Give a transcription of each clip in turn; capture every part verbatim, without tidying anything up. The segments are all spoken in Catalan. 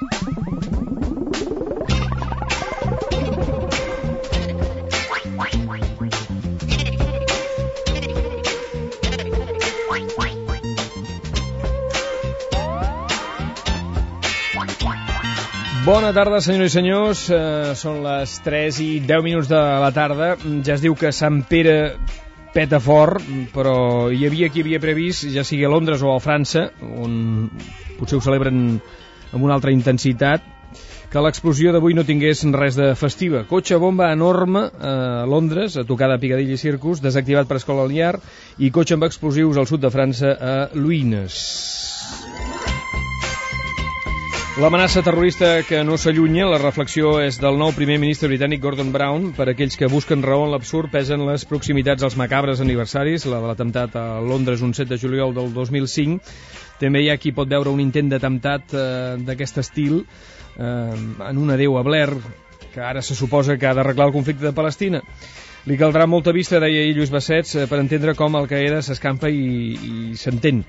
Bona tarda, senyores i senyors. Uh, són les tres i deu minuts de la tarda. Ja es diu que Sant Pere peta fort, però hi havia qui havia previst, ja sigui a Londres o a França, on potser ho celebren amb una altra intensitat, que l'explosió d'avui no tingués res de festiva. Cotxe bomba enorme a Londres, a tocar de Piccadilly Circus, desactivat per escola liar, i cotxe amb explosius al sud de França, a Luïnes. L'amenaça terrorista que no s'allunya, la reflexió és del nou primer ministre britànic Gordon Brown. Per aquells que busquen raó en l'absurd, pesen les proximitats als macabres aniversaris, la de l'atemptat a Londres un set de juliol del dos mil cinc. També hi ha qui pot veure un intent d'atemptat eh, d'aquest estil eh, en un adeu a Blair, que ara se suposa que ha d'arreglar el conflicte de Palestina. Li caldrà molta vista, deia ahir Lluís Bassets, per entendre com Al-Qaeda s'escampa i, i s'entén.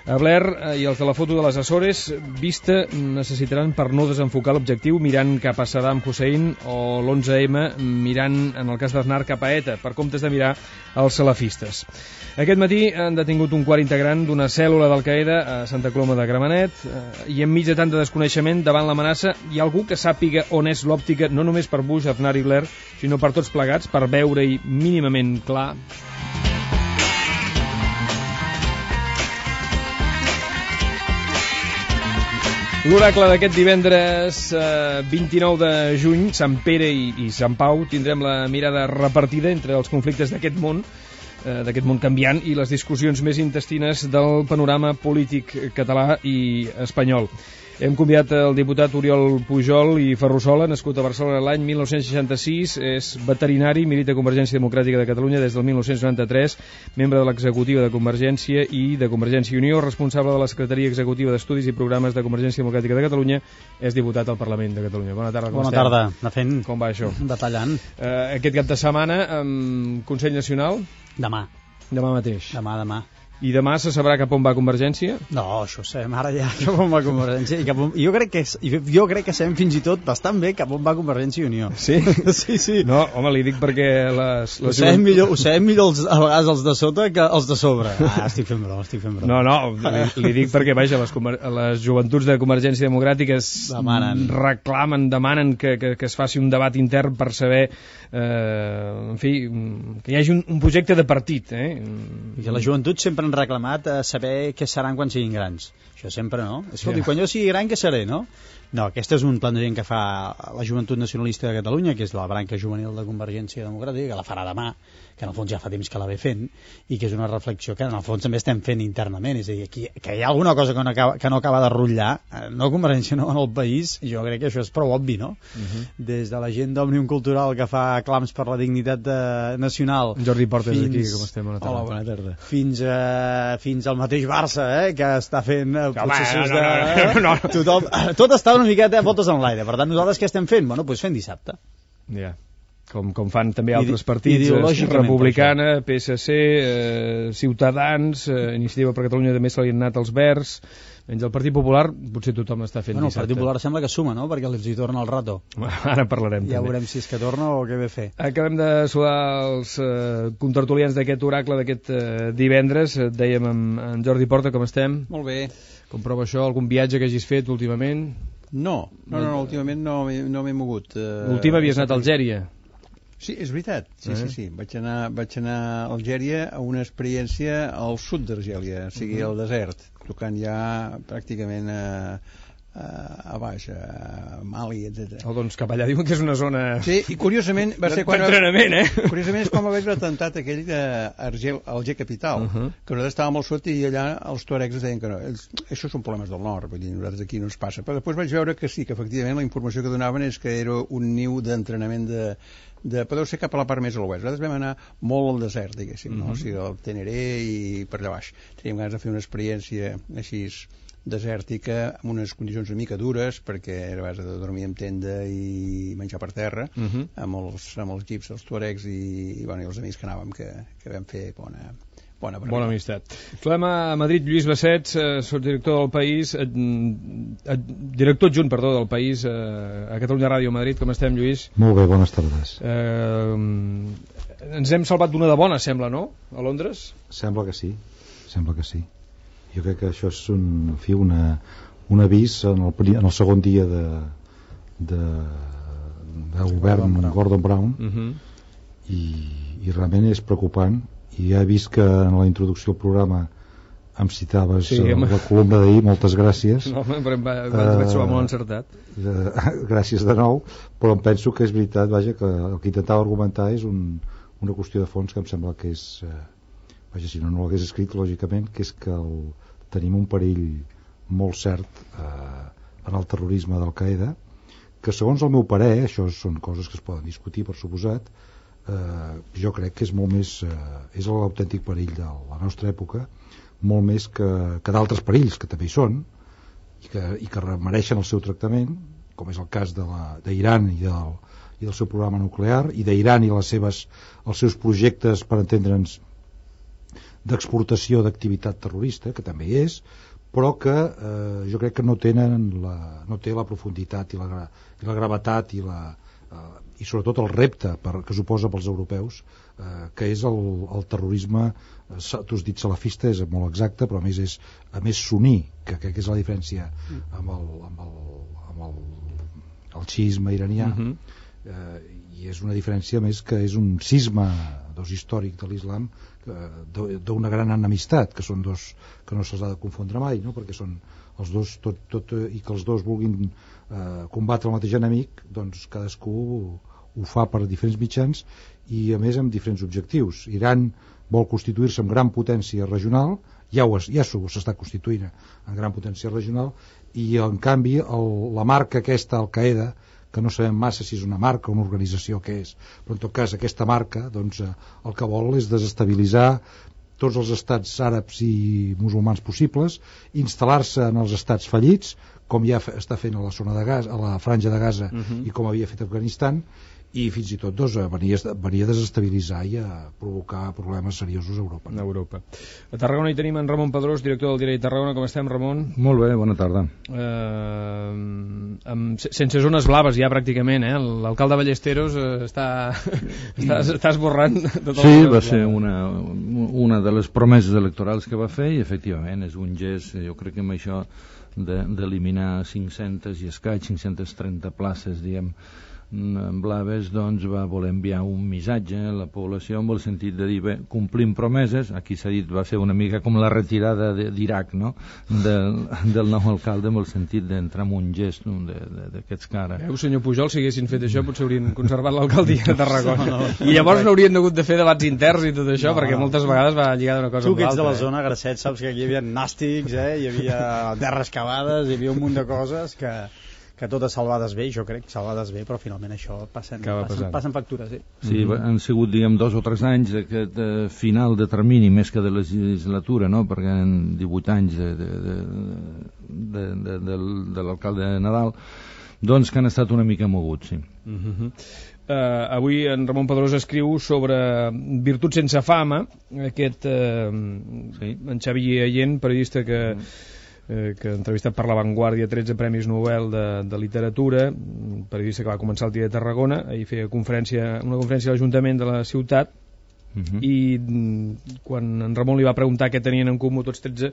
A Blair i els de la foto de les Açores, vista necessitaran per no desenfocar l'objectiu mirant cap a Saddam Hussein, o l'onze eme mirant, en el cas d'Aznar, cap a ETA, per comptes de mirar els salafistes. Aquest matí han detingut un quart integrant d'una cèl·lula d'Al-Qaeda a Santa Coloma de Gramenet, i enmig de tant de desconeixement davant l'amenaça hi ha algú que sàpiga on és l'òptica, no només per Bush, Aznar i Blair, sinó per tots plegats, per veure-hi mínimament clar. L'oracle d'aquest divendres eh, vint-i-nou de juny, Sant Pere i, i Sant Pau, tindrem la mirada repartida entre els conflictes d'aquest món, eh, d'aquest món canviant, i les discussions més intestines del panorama polític català i espanyol. Hem convidat el diputat Oriol Pujol i Ferrusola, nascut a Barcelona l'any mil nou-cents seixanta-sis, és veterinari, milita Convergència Democràtica de Catalunya des del mil nou-cents noranta-tres, membre de l'executiva de Convergència i de Convergència i Unió, responsable de la Secretaria Executiva d'Estudis i Programes de Convergència Democràtica de Catalunya, és diputat al Parlament de Catalunya. Bona tarda, com Bona estem? tarda, anar fent... Com va això? Detallant. Uh, aquest cap de setmana, um, Consell Nacional? Demà. Demà mateix. Demà, demà. I demà se sabrà cap on va Convergència? No, això ho sabem ara ja, cap on va Convergència. I cap on... jo, crec que, jo crec que sabem fins i tot bastant bé cap on va Convergència i Unió. Sí? Sí, sí. No, home, li dic perquè les... les ho, sabem millor, ho sabem millor els, a vegades els de sota que els de sobre. Ah, estic fent broma, estic fent broma. No, no, li, li dic perquè, vaja, les, les joventuts de Convergència Democràtica demanen. reclamen, demanen que, que, que es faci un debat intern per saber, eh, en fi, que hi hagi un, un projecte de partit. Eh? I que la joventut sempre han reclamat eh, saber què seran quan siguin grans. Això sempre, no? Escolti, yeah. Quan jo sigui gran, què seré, no? No, aquest és un plantejament que fa la Joventut Nacionalista de Catalunya, que és la branca juvenil de Convergència Democràtica, que la farà demà, que en el fons ja fa temps que la ve fent, i que és una reflexió que en el fons també estem fent internament. És a dir, aquí, que hi ha alguna cosa que no acaba, que no acaba de rotllar, no Convergència, no en el país, jo crec que això és prou obvi, no? Uh -huh. Des de la gent d'Òmnium Cultural que fa clams per la dignitat de, nacional... Jordi Porta és aquí, com estem? Bona tarda. Hola, bona tarda. Fins, a, fins al mateix Barça, eh, que està fent eh, processos no, no, no, no, no. de... Tothom, tot està una miqueta a voltes en l'aire. Per tant, nosaltres què estem fent? Bueno, doncs fent dissabte. Ja. Yeah. Com, com fan també altres partits, Republicana, P S C, eh, Ciutadans, eh, Iniciativa per Catalunya també se li han anat els Verds, menys el Partit Popular potser tothom està fent bueno, dissabte. El Partit Popular sembla que suma, no?, perquè els hi torna el rato. Ara parlarem ja també. Veurem si és que torna o què ve a fer. Acabem de saludar els eh, contertulians d'aquest oracle d'aquest eh, divendres. Dèiem amb, amb Jordi Porta, com estem? Molt bé. Com prova això? Algun viatge que hagis fet últimament? No, no, no, no últimament no, no m'he mogut. Uh, L'últim havies anat a Algèria. Sí, és veritat, sí, eh? sí, sí. Vaig anar, vaig anar a Algèria a una experiència al sud d'Argèlia, o sigui, al desert, tocant ja pràcticament a, a, a baix, a Mali, etcètera. Oh, doncs cap allà diuen que és una zona... Sí, i curiosament va ser quan... d'entrenament, eh? Curiosament és quan va haver l'atemptat aquell d'Alger, Alger capital, uh -huh. que nosaltres estàvem al sud i allà els tuaregs ens deien que no, ells, això són problemes del nord, vull dir, nosaltres aquí no ens passa. Però després vaig veure que sí, que efectivament la informació que donaven és que era un niu d'entrenament de... de podeu ser cap a la part més a l'oest. Nosaltres vam anar molt al desert, diguéssim, no? Uh -huh. O sigui, al Teneré i per allà baix. Teníem ganes de fer una experiència així desèrtica, amb unes condicions una mica dures, perquè era a base de dormir en tenda i menjar per terra, uh -huh. amb, els, amb els jeeps, els tuaregs i, i, bueno, i els amics que anàvem, que, que vam fer bona, bona, bona amistat. Trobem a Madrid Lluís Bassets, eh, director del País, eh, eh, director adjunt, perdó, del País eh, a Catalunya Ràdio Madrid. Com estem, Lluís? Molt bé, bones tardes. Eh, ens hem salvat d'una de bona, sembla, no? A Londres? Sembla que sí, sembla que sí. Jo crec que això és un, en fi, una, un avís en el, en el segon dia de, de, de govern Gordon Brown, Gordon Brown uh-huh. i, i realment és preocupant. I ja he vist que en la introducció al programa em citaves sí, la columna d'ahir, moltes gràcies. No, però em va, va, vaig trobar molt encertat. Uh, gràcies de nou, però em penso que és veritat, vaja, que el que intentava argumentar és un, una qüestió de fons que em sembla que és, uh, vaja, si no, no l'hagués escrit, lògicament, que és que el, tenim un perill molt cert uh, en el terrorisme d'Al-Qaeda, que segons el meu parer, això són coses que es poden discutir, per suposat, Uh, jo crec que és molt més uh, és l'autèntic perill de la nostra època, molt més que, que d'altres perills que també hi són i que, i que mereixen el seu tractament, com és el cas de d'Iran i, del, i del seu programa nuclear, i d'Iran i les seves, els seus projectes, per entendre'ns, d'exportació d'activitat terrorista, que també hi és, però que eh, jo crec que no tenen la, no té la profunditat i la, i la gravetat i la eh, i sobretot el repte per, que suposa pels europeus, eh, que és el, el terrorisme, eh, tu has dit salafista, és molt exacte, però a més és a més suní, que crec que és la diferència amb el, amb el, amb el, el xiisme iranià, uh-huh. eh, i és una diferència més que és un cisma dos històric de l'islam, d'una gran enemistat, que són dos que no se'ls ha de confondre mai, no? Perquè són els dos, tot, tot, i que els dos vulguin eh, combatre el mateix enemic, doncs cadascú ho, ho fa per diferents mitjans i a més amb diferents objectius. Iran vol constituir-se en gran potència regional, ja, ho, ja s'està constituint en gran potència regional, i en canvi el, la marca aquesta Al-Qaeda, que no sabem massa si és una marca o una organització que és, però en tot cas aquesta marca doncs, el que vol és desestabilitzar tots els estats àrabs i musulmans possibles, instal·lar-se en els estats fallits, com ja està fent a la zona de Gaza, a la franja de Gaza, uh-huh. i com havia fet Afganistan, i fins i tot doncs, venia, venia a desestabilitzar i a provocar problemes seriosos a Europa. A Europa. A Tarragona hi tenim en Ramon Pedrós, director del diari Tarragona. Com estem, Ramon? Molt bé, bona tarda. Eh, amb, sense zones blaves ja pràcticament, eh? L'alcalde Ballesteros eh, està, està, està esborrant de tot. Sí, va ser una, una de les promeses electorals que va fer i efectivament és un gest, jo crec que amb això d'eliminar cinc-centes i escaig, cinc-centes trenta places, diguem, blaves, doncs va voler enviar un missatge a la població amb el sentit de dir, bé, complim promeses. Aquí s'ha dit, va ser una mica com la retirada d'Iraq, no? Del, del nou alcalde, amb el sentit d'entrar en un gest d'aquests caras. Veu, senyor Pujol, si haguessin fet això potser haurien conservat l'alcaldia de Tarragona. No, no, I llavors no haurien hagut de fer debats interns i tot això, no, perquè moltes vegades va lligar d'una cosa amb l'altra. Tu que ets de la eh? zona, Gracet, saps que aquí hi havia nàstics, eh? Hi havia terres cavades, hi havia un munt de coses que... que totes salvades bé, jo crec, salvades bé, però finalment això passen, passen, passen factures. Sí, sí mm-hmm. han sigut, diguem, dos o tres anys d'aquest eh, final de termini, més que de legislatura, no? Perquè en divuit anys de, de, de, de, de, de, de l'alcalde de Nadal, doncs que han estat una mica moguts, sí. Mm-hmm. Uh, avui en Ramon Pedrós escriu sobre Virtut sense fama, aquest uh, sí. en Xavi Allent, periodista que... Mm. Eh, que entrevistat per La Vanguardia, tretze premis Nobel de, de literatura, periodista que va començar al dia de Tarragona, ahir feia conferència, una conferència a l'Ajuntament de la ciutat, uh-huh. i quan en Ramon li va preguntar què tenien en comú tots tretze,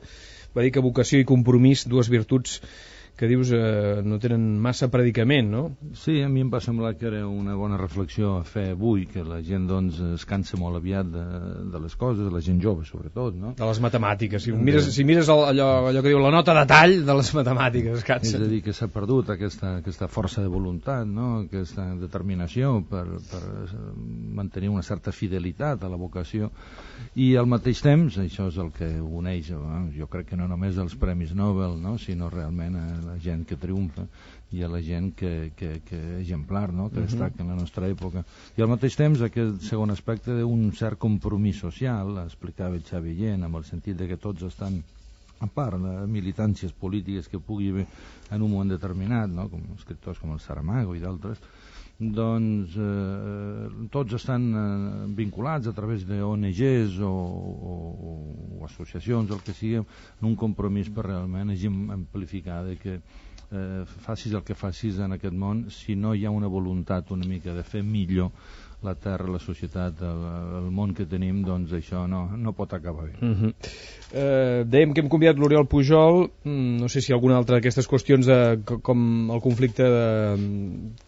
va dir que vocació i compromís, dues virtuts que dius eh, no tenen massa predicament, no? Sí, a mi em va semblar que era una bona reflexió a fer avui, que la gent doncs es cansa molt aviat de, de les coses, la gent jove sobretot, no? De les matemàtiques, si mires, si mires allò, allò que diu la nota de tall de les matemàtiques, es cansa. És a dir, que s'ha perdut aquesta, aquesta força de voluntat, no? Aquesta determinació per, per mantenir una certa fidelitat a la vocació, i al mateix temps, això és el que uneix, jo crec que no només els Premis Nobel, no? Sinó realment a la gent que triomfa i a la gent que, que, que exemplar, no? Que destaca en la nostra època. I al mateix temps aquest segon aspecte d'un cert compromís social, explicava el Xavi Allent, amb el sentit de que tots estan a part de militàncies polítiques que pugui haver en un moment determinat, no? Com escriptors com el Saramago i d'altres, doncs eh, tots estan eh, vinculats a través d'O N Ges o, o, o associacions, el que sigui, en un compromís per realment amplificar de que eh, facis el que facis en aquest món, si no hi ha una voluntat una mica de fer millor la terra, la societat, el, el món que tenim, doncs això no, no pot acabar bé. Uh-huh. eh, dèiem que hem convidat l'Oriol Pujol, mm, no sé si alguna altra d'aquestes qüestions de, com el conflicte de,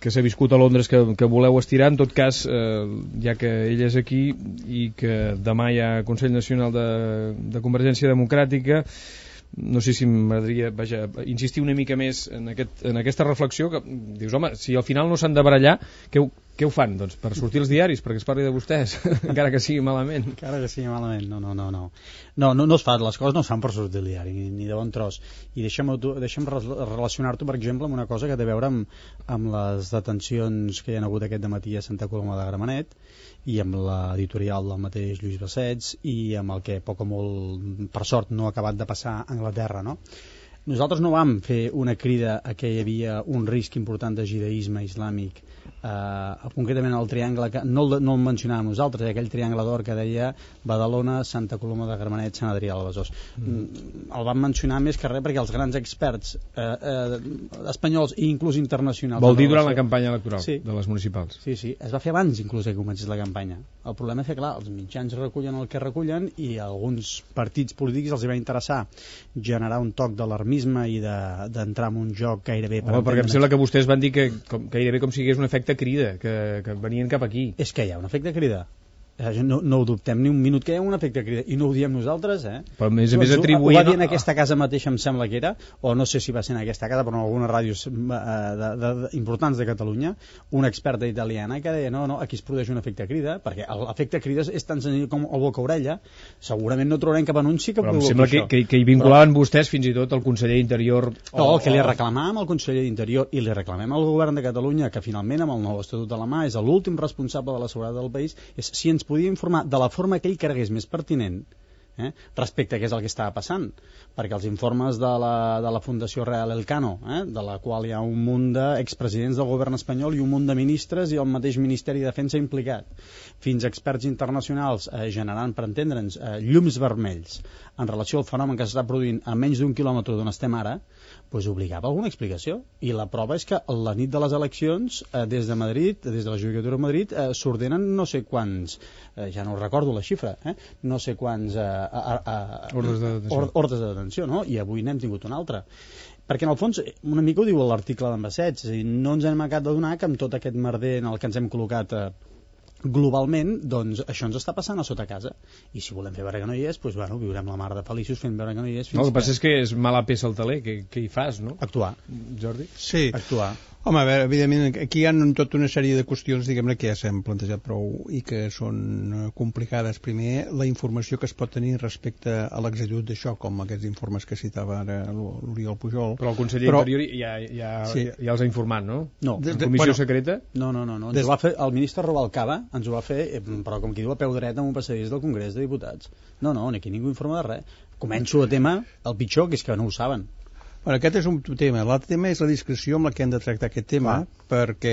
que s'ha viscut a Londres que, que voleu estirar. En tot cas, eh, ja que ell és aquí i que demà hi ha Consell Nacional de, de Convergència Democràtica, no sé si m'agradaria, vaja, insistir una mica més en, aquest, en aquesta reflexió que dius, home, si al final no s'han de barallar, què, què ho fan? Doncs per sortir als diaris, perquè es parli de vostès, encara que sigui malament. Encara que sigui malament, no, no, no. No, no, no, no es fa, les coses no es fan per sortir al diari, ni, ni de bon tros. I deixa'm, deixa'm relacionar-t'ho, per exemple, amb una cosa que té a veure amb, amb les detencions que hi ha hagut aquest dematí a Santa Coloma de Gramenet, i amb l'editorial del mateix Lluís Bassets i amb el que poc o molt, per sort, no ha acabat de passar a Anglaterra, no? Nosaltres no vam fer una crida a que hi havia un risc important de judaïsme islàmic, eh, concretament el triangle, que no el, no el mencionàvem nosaltres, eh, aquell triangle d'or que deia Badalona, Santa Coloma de Gramenet, Sant Adrià de Besòs. Mm. El vam mencionar més que res perquè els grans experts eh, eh, espanyols i inclús internacionals... Vol dir durant la campanya electoral, sí, de les municipals. Sí, sí, es va fer abans inclús que comencés la campanya. El problema és que, clar, els mitjans recullen el que recullen i a alguns partits polítics els hi va interessar generar un toc d'alarmisme i d'entrar de, en un joc gairebé... Home, perquè em sembla que vostès van dir que com, gairebé com si hi hagués un efecte crida, que, que venien cap aquí. És que hi ha un efecte crida. No, no ho dubtem ni un minut que hi ha un efecte crida, i no ho diem nosaltres, eh? Però a més a més atribuint... Ho va dir en aquesta casa mateixa, em sembla que era, o no sé si va ser en aquesta casa, però en algunes ràdios eh, de, de, de, importants de Catalunya, una experta italiana que deia, no, no, aquí es produeix un efecte crida, perquè l'efecte crida és tan senzill com el boca-orella, segurament no trobarem cap anunci que però em provoqui sembla que, que, que hi vinculaven però... vostès fins i tot el conseller d'Interior... O... No, el que li reclamàvem al conseller d'Interior i li reclamem al govern de Catalunya, que finalment amb el nou estatut de la mà és l'últim responsable de la seguretat del país, és si ens podia informar de la forma que ell cregués més pertinent, eh, respecte a què és el que estava passant, perquè els informes de la, de la Fundació Real Elcano, eh, de la qual hi ha un munt d'expresidents del govern espanyol i un munt de ministres i el mateix Ministeri de Defensa implicat, fins a experts internacionals eh, generant, per entendre'ns, eh, llums vermells en relació al fenomen que s'està produint a menys d'un quilòmetre d'on estem ara, pues obligava alguna explicació. I la prova és que la nit de les eleccions, eh, des de Madrid, des de la Judicatura de Madrid, eh, s'ordenen no sé quants, eh, ja no recordo la xifra, eh, no sé quants eh, a, a, a, ordres de detenció, or, ordres de detenció, no? I avui n'hem tingut una altra. Perquè en el fons, una mica ho diu l'article d'en Bassets, és a dir, no ens hem acabat de donar que amb tot aquest merder en el que ens hem col·locat eh, globalment, doncs això ens està passant a sota casa, i si volem fer veure que no hi és, doncs bueno, viurem la mar de feliços fent veure que no hi és fins no, el que passa és que és mala peça al taler, què, què hi fas, no? Actuar. Jordi? Sí. Actuar. Home, a veure, evidentment, aquí hi ha tota una sèrie de qüestions, diguem-ne, que ja s'han plantejat prou i que són complicades. Primer, la informació que es pot tenir respecte a l'exagitud d'això, com aquests informes que citava ara l'Oriol Pujol. Però el conseller Però... Interior ja, ja, sí. ja, ja els ha informat, no? No. De, de, comissió bueno, secreta? No, no, no. no. Ens Des... ho va fer, el ministre Rubalcaba ens ho va fer, però com qui diu a peu dret en un passadís del Congrés de Diputats. No, no, aquí ningú informa de res. Començo a tema el pitjor, que és que no ho saben. Bueno, aquest és un tema. L'altre tema és la discreció amb la que hem de tractar aquest tema, clar. Perquè,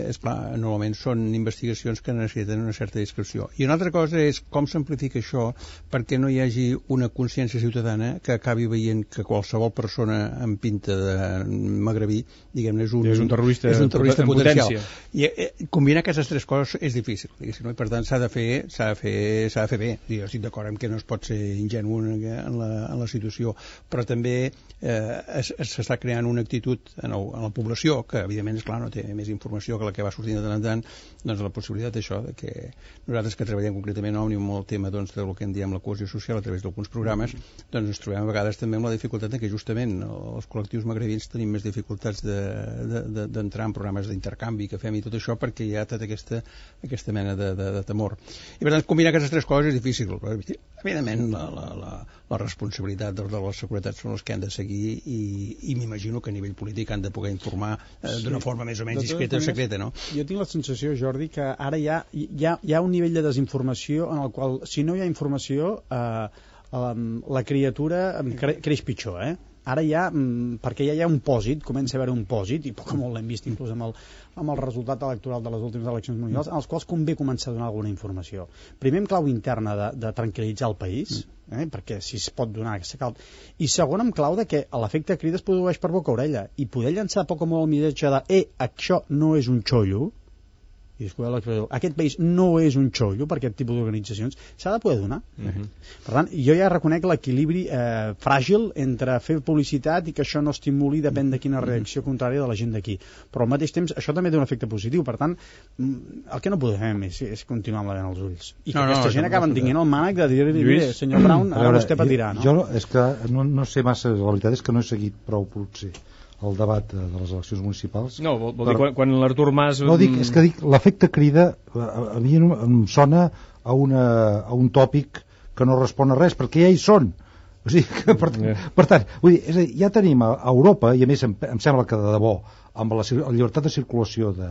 esclar, normalment són investigacions que necessiten una certa discreció. I una altra cosa és com s'amplifica això perquè no hi hagi una consciència ciutadana que acabi veient que qualsevol persona amb pinta de magrebí, diguem-ne, és un, és un terrorista, és un terrorista potencial. Potència. I eh, combinar aquestes tres coses és difícil, no? I per tant s'ha de fer, s'ha de fer, s'ha de fer bé. Jo estic d'acord amb que no es pot ser ingenu en la, en la situació, però també eh, s'està creant una actitud en, el, en la població que evidentment és clar, no té més informació que la que va sortint de tant en tant, doncs la possibilitat d'això, de que nosaltres que treballem concretament a Òmnium amb el tema doncs, del que en diem la cohesió social a través d'alguns programes, doncs ens trobem a vegades també amb la dificultat de que justament els col·lectius magrebins tenim més dificultats d'entrar de, de, de, en programes d'intercanvi que fem i tot això perquè hi ha tota aquesta, aquesta mena de, de, de temor. I per tant combinar aquestes tres coses és difícil, però evidentment la, la, la, la responsabilitat de, de la seguretat són els que han de seguir i, i m'imagino que a nivell polític han de poder informar eh, d'una sí. forma més o menys discreta o secreta, no? Jo tinc la sensació, Jordi, que ara hi ha, hi ha, hi ha un nivell de desinformació en el qual, si no hi ha informació, eh, la criatura cre creix pitjor, eh? ara ja, perquè ja hi ha un pòsit, comença a haver un pòsit, i poc o molt l'hem vist inclús amb el, amb el resultat electoral de les últimes eleccions municipals, en els quals convé començar a donar alguna informació. Primer, en clau interna de, de tranquil·litzar el país, eh, perquè si es pot donar aquesta cal... I segon, en clau de que l'efecte crida es produeix per boca-orella, i poder llançar poc o molt el missatge de eh, això no és un xollo, i aquest país no és un xollo per aquest tipus d'organitzacions, s'ha de poder donar. Uh-huh. Per tant, jo ja reconec l'equilibri eh, fràgil entre fer publicitat i que això no estimuli, depèn de quina reacció contrària de la gent d'aquí. Però al mateix temps això també té un efecte positiu. Per tant, el que no podem és, és continuar amb la vena als ulls. I que no, aquesta no, gent acaben tinguent el mànec de dir-li, senyor Brown, ara vostè patirà, no? Jo és que no, no sé massa, la veritat és que no he seguit prou, potser, el debat de les eleccions municipals. No, vol, vol dir quan, quan l'Artur Mas... No, dic, és que dic, l'efecte crida a, a mi em sona a, una, a un tòpic que no respon a res, perquè ja hi són. O sigui, que, per, yeah. per tant, vull dir, és a dir, ja tenim a, a Europa, i a més em, em sembla que de debò, amb la, la llibertat de circulació de,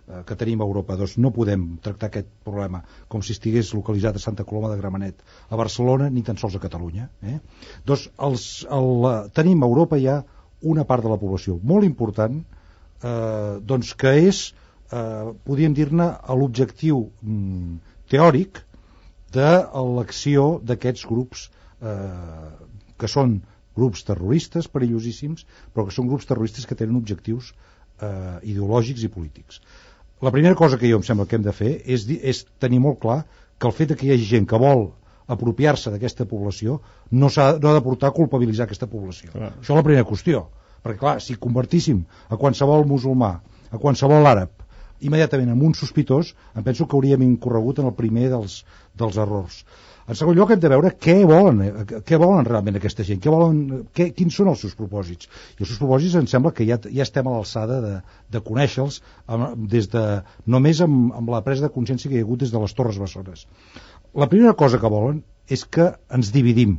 eh, que tenim a Europa, doncs no podem tractar aquest problema com si estigués localitzat a Santa Coloma de Gramenet, a Barcelona, ni tan sols a Catalunya. Eh? Doncs els, el, tenim a Europa ja una part de la població molt important, eh, doncs que és, eh, podríem dir-ne, l'objectiu mm, teòric de l'acció d'aquests grups eh, que són grups terroristes perillosíssims, però que són grups terroristes que tenen objectius eh, ideològics i polítics. La primera cosa que jo em sembla que hem de fer és, és tenir molt clar que el fet que hi hagi gent que vol apropiar-se d'aquesta població no, s'ha, no ha de portar a culpabilitzar aquesta població. Clar. Això és la primera qüestió, perquè clar, si convertíssim a qualsevol musulmà, a qualsevol àrab, immediatament en un sospitós, em penso que hauríem incorregut en el primer dels, dels errors. En segon lloc, hem de veure què volen, què volen realment aquesta gent, què volen, què, quins són els seus propòsits. I els seus propòsits em sembla que ja, ja estem a l'alçada de, de conèixer-los des de, només amb, amb la presa de consciència que hi ha hagut des de les Torres Bessones. La primera cosa que volen és que ens dividim,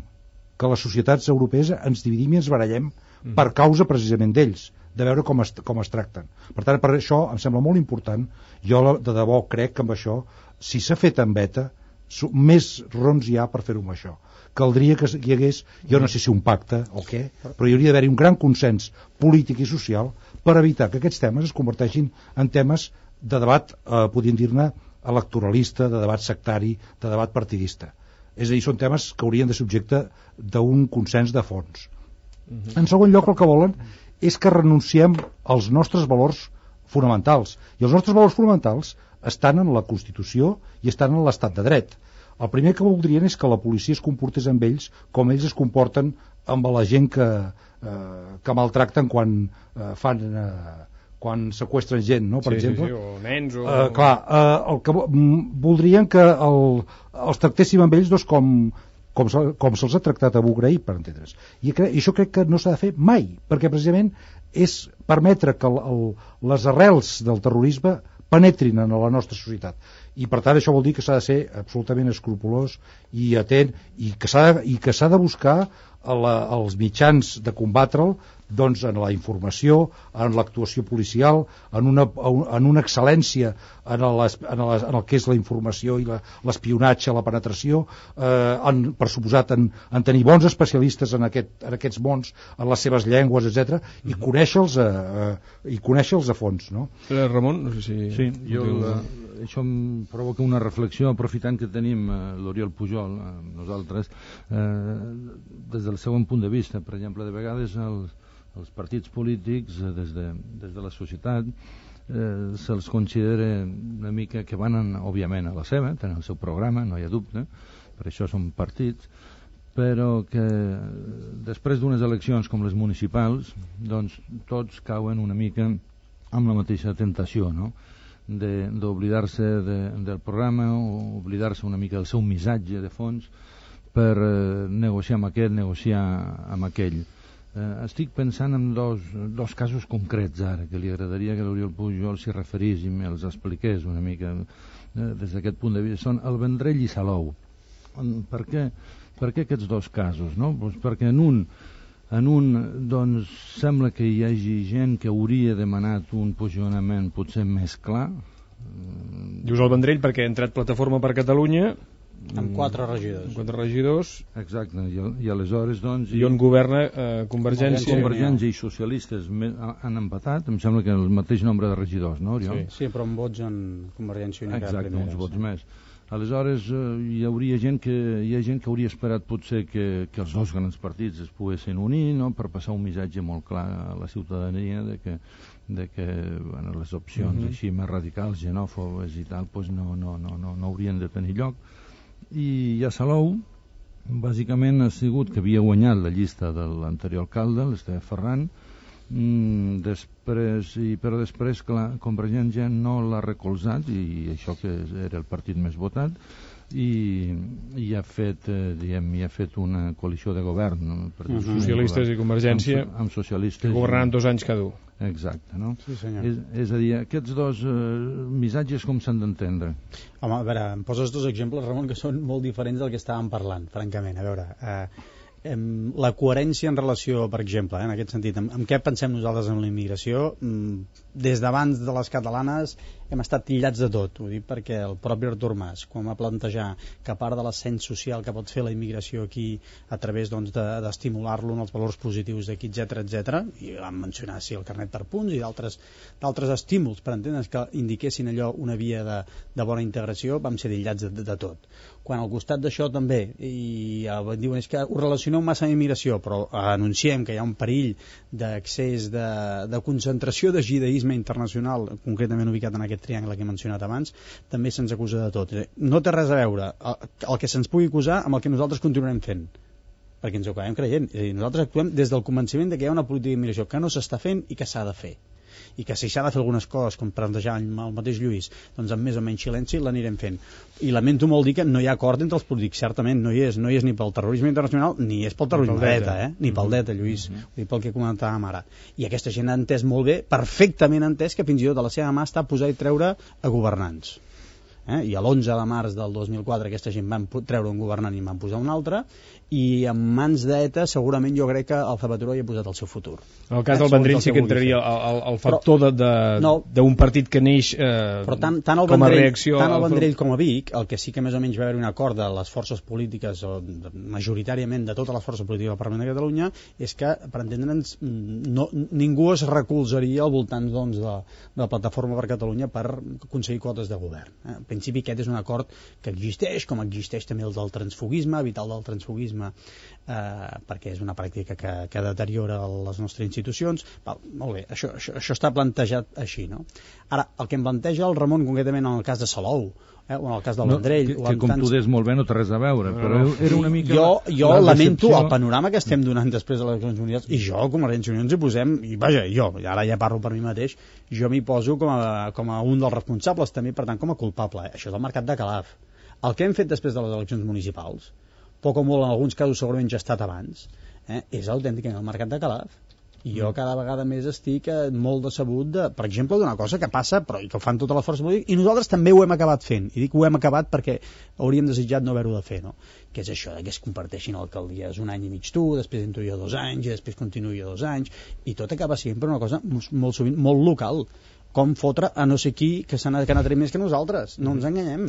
que les societats europees ens dividim i ens barallem mm. per causa precisament d'ells, de veure com es, com es tracten. Per tant, per això em sembla molt important, jo de debò crec que amb això, si s'ha fet en beta, més raons hi ha per fer-ho amb això. Caldria que hi hagués, jo no sé si un pacte o què, però hi hauria d'haver-hi un gran consens polític i social per evitar que aquests temes es converteixin en temes de debat, eh, podríem dir-ne, electoralista, de debat sectari, de debat partidista. És a dir, són temes que haurien de ser objecte d'un consens de fons. Uh-huh. En segon lloc, el que volen és que renunciem als nostres valors fonamentals. I els nostres valors fonamentals estan en la Constitució i estan en l'estat de dret. El primer que voldrien és que la policia es comportés amb ells com ells es comporten amb la gent que, eh, que maltracten quan eh, fan... Eh, quan seqüestren gent, no? Per sí, exemple. Sí, sí, o nens o... Uh, clar, uh, el que voldrien que el, els tractéssim amb ells doncs, com, com, se, com se'ls ha tractat a Bugraí, per entendre's. I, cre I això crec que no s'ha de fer mai, perquè precisament és permetre que el, el, les arrels del terrorisme penetrin en la nostra societat. I per tant això vol dir que s'ha de ser absolutament escrupolós i atent i que s'ha de, i que s'ha de buscar la, els mitjans de combatre'l doncs en la informació, en l'actuació policial, en una, en una excel·lència en, les, en, les, en el que és la informació i l'espionatge, la, la penetració, eh, en, per suposat en, en tenir bons especialistes en, aquest, en aquests mons, en les seves llengües, etcètera, i conèixer-los a, a, i conèixer-los a fons. No? Eh, Ramon, no sé si... Sí, jo, la, això em provoca una reflexió, aprofitant que tenim eh, l'Oriol Pujol, eh, nosaltres, eh, des del segon punt de vista. Per exemple, de vegades els els partits polítics eh, des, de, des de la societat eh, se'ls considera una mica que van, en, òbviament, a la seva, tenen el seu programa, no hi ha dubte, per això són partits, però que després d'unes eleccions com les municipals, doncs tots cauen una mica amb la mateixa tentació, no? d'oblidar-se de, del programa o oblidar-se una mica del seu missatge de fons per eh, negociar amb aquest, negociar amb aquell. Uh, estic pensant en dos, dos casos concrets ara, que li agradaria que l'Oriol Pujol s'hi referís i me'ls expliqués una mica uh, des d'aquest punt de vista. Són el Vendrell i Salou. Per què, per què aquests dos casos? No? Pues perquè en un, en un doncs, sembla que hi hagi gent que hauria demanat un posicionament potser més clar. Dius el Vendrell perquè ha entrat Plataforma per Catalunya Amb quatre regidors. Amb quatre regidors. Exacte, i, i aleshores, doncs... I on governa eh, Convergència. Convergència i socialistes han empatat, em sembla que el mateix nombre de regidors, no, Oriol? Sí, sí, però amb vots en Convergència i Unió. Exacte, uns vots més. Aleshores, eh, hi hauria gent que hi ha gent que hauria esperat potser que, que els dos grans partits es poguessin unir, no?, per passar un missatge molt clar a la ciutadania de que, de que bueno, les opcions uh-huh. així més radicals, xenòfobes i tal, pues no, no, no, no, no haurien de tenir lloc. I a Salou, bàsicament ha sigut que havia guanyat la llista de l'anterior alcalde, l'Esteve Ferran, mm, després, i, però després, clar, Convergència no l'ha recolzat, i això que era el partit més votat, i, i ha fet eh, diguem, i ha fet una coalició de govern, no? Uh-huh. Socialistes i Convergència, amb, amb socialistes, que governaran dos anys cada un. Exacte, no? Sí, senyor. És, és a dir, aquests dos eh, missatges com s'han d'entendre? Home, a veure, em poses dos exemples, Ramon, que són molt diferents del que estàvem parlant, francament. A veure, eh, em, la coherència en relació, per exemple, eh, en aquest sentit, en, en què pensem nosaltres en la immigració? Mm, des d'abans de les catalanes hem estat tillats de tot, ho dic perquè el propi Artur Mas, quan va plantejar que a part de l'ascens social que pot fer la immigració aquí a través doncs, de, d'estimular-lo en els valors positius d'aquí, etcètera, etcètera, i vam mencionar sí, el carnet per punts i d'altres, d'altres estímuls per entendre's que indiquessin allò una via de, de bona integració, vam ser tillats de, de, de tot. Quan al costat d'això també, i eh, diuen és que ho relacioneu massa amb immigració, però eh, anunciem que hi ha un perill d'accés de, de concentració de judaïsme internacional, concretament ubicat en aquest triangle que he mencionat abans, també se'ns acusa de tot. No té res a veure el, el que se'ns pugui acusar amb el que nosaltres continuarem fent, perquè ens ho acabem creient. És a dir, nosaltres actuem des del convenciment de que hi ha una política d'immigració que no s'està fent i que s'ha de fer, i que si s'ha de fer algunes coses, com plantejar el mateix Lluís, doncs amb més o menys silenci l'anirem fent. I lamento molt dir que no hi ha acord entre els polítics, certament no hi és, no hi és ni pel terrorisme internacional ni és pel terrorisme d'ETA, eh? ni pel d'ETA, Lluís, uh-huh. ni pel que comentàvem ara. I aquesta gent ha entès molt bé, perfectament entès, que fins i tot a la seva mà està a posar i treure a governants. Eh? I a l'onze de març del dos mil quatre aquesta gent van treure un governant i en van posar un altre, i en mans d'ETA segurament jo crec que el Zapatero hi ha posat el seu futur. En el cas eh? del Vendrell sí que entraria el, el, el factor però, de, de, no, d'un partit que neix eh, però tant, tant el com a Vendrell, reacció... Tant el Vendrell com a Vic, el que sí que més o menys va haver un acord de les forces polítiques, o majoritàriament de totes les forces polítiques del Parlament de Catalunya, és que, per entendre'ns, no, ningú es recolzaria al voltant doncs, de, de la Plataforma per Catalunya per aconseguir quotes de govern. Eh? En principi aquest és un acord que existeix, com existeix també el del transfugisme, evitar el del transfugisme eh, perquè és una pràctica que, que deteriora les nostres institucions. Val, molt bé, això, això, això està plantejat així, no? Ara, el que em planteja el Ramon concretament en el cas de Salou, eh, o en el cas del Vendrell... No, que, que com tants... tu des molt bé no té res a veure, però era una mica... Jo, jo lamento el panorama que estem donant després de les eleccions municipals, i jo, com a Convergència i Unió, ens hi posem, i vaja, jo, ara ja parlo per mi mateix, jo m'hi poso com a, com a un dels responsables també, per tant, com a culpable. Eh? Això és el mercat de Calaf. El que hem fet després de les eleccions municipals, poc o molt en alguns casos segurament ja ha estat abans, eh, és autènticament el mercat de Calaf. I jo cada vegada més estic eh, molt decebut, de, per exemple, d'una cosa que passa, però i que ho fan totes les forces polítiques, i nosaltres també ho hem acabat fent. I dic ho hem acabat perquè hauríem desitjat no haver-ho de fer, no? Que és això, que es comparteixin alcaldies un any i mig tu, després entro jo dos anys, i després continuo jo dos anys, i tot acaba sempre una cosa molt sovint molt local. Com fotre a no sé qui que s'ha anat a més que nosaltres. No ens enganyem.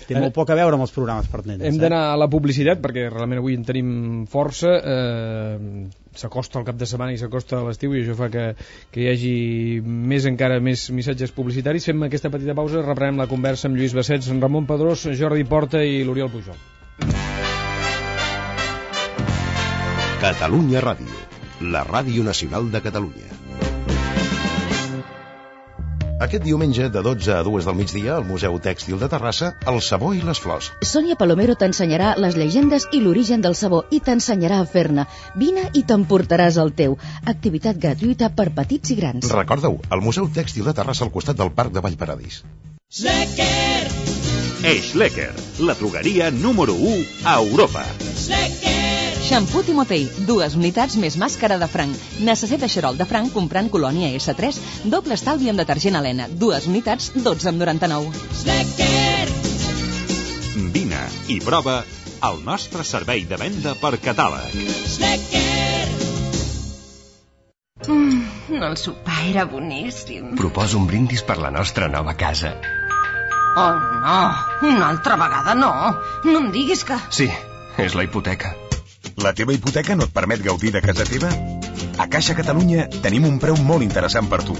Té molt poc a veure amb els programes pertinents. Hem d'anar a la publicitat, perquè realment avui en tenim força. Eh, s'acosta el cap de setmana i s'acosta l'estiu, i això fa que, que hi hagi més encara més missatges publicitaris. Fem aquesta petita pausa, reprenem la conversa amb Lluís Bassets, Ramon Pedrós, Jordi Porta i l'Oriol Pujol. Catalunya Ràdio, la ràdio nacional de Catalunya. Aquest diumenge, de dotze a dues del migdia, al Museu Tèxtil de Terrassa, el sabó i les flors. Sònia Palomero t'ensenyarà les llegendes i l'origen del sabó i t'ensenyarà a fer-ne. Vine i t'emportaràs el teu. Activitat gratuïta per petits i grans. Recorda-ho, al Museu Tèxtil de Terrassa, al costat del Parc de Vallparadís. Schlecker! Schlecker, la drogueria número u a Europa. Schlecker! Xampú Timotei, dues unitats més màscara de franc. Necessita xarol de franc comprant colònia esse tres, doble estalvi amb detergent Helena, dues unitats, dotze amb noranta-nou. Schlecker! Vine i prova el nostre servei de venda per catàleg. Schlecker! Mm, el sopar era boníssim. Proposo un brindis per la nostra nova casa. Oh, no, una altra vegada no. No em diguis que... Sí, és la hipoteca. La teva hipoteca no et permet gaudir de casa teva? A Caixa Catalunya tenim un preu molt interessant per tu.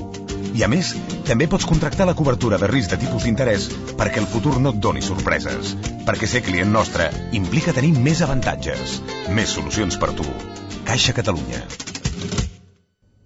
I a més, també pots contractar la cobertura de risc de tipus d'interès perquè el futur no et doni sorpreses. Perquè ser client nostre implica tenir més avantatges, més solucions per tu. Caixa Catalunya.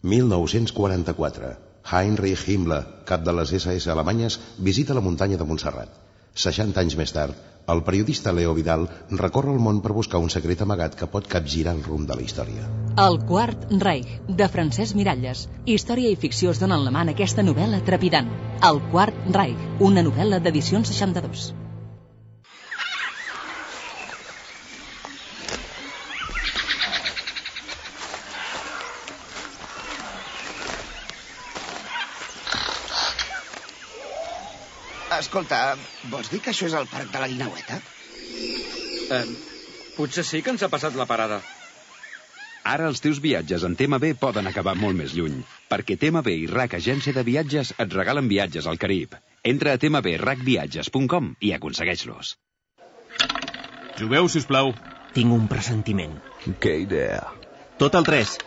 mil nou-cents quaranta-quatre. Heinrich Himmler, cap de les esse esse alemanyes, visita la muntanya de Montserrat. seixanta anys més tard, el periodista Leo Vidal recorre el món per buscar un secret amagat que pot capgirar el rumb de la història. El Quart Reich, de Francesc Miralles. Història i ficció es donen la mà en aquesta novel·la trepidant. El Quart Reich, una novel·la d'edicions seixanta-dos. Escolta, vols dir que això és el parc de la Guineueta? Eh, potser sí que ens ha passat la parada. Ara els teus viatges en T M B poden acabar molt més lluny, perquè T M B i R A C Agència de Viatges et regalen viatges al Carib. Entra a t m b rac viatges punt com i aconsegueix-los. Jugueu, sisplau. Tinc un pressentiment. Que idea. Tot el tres.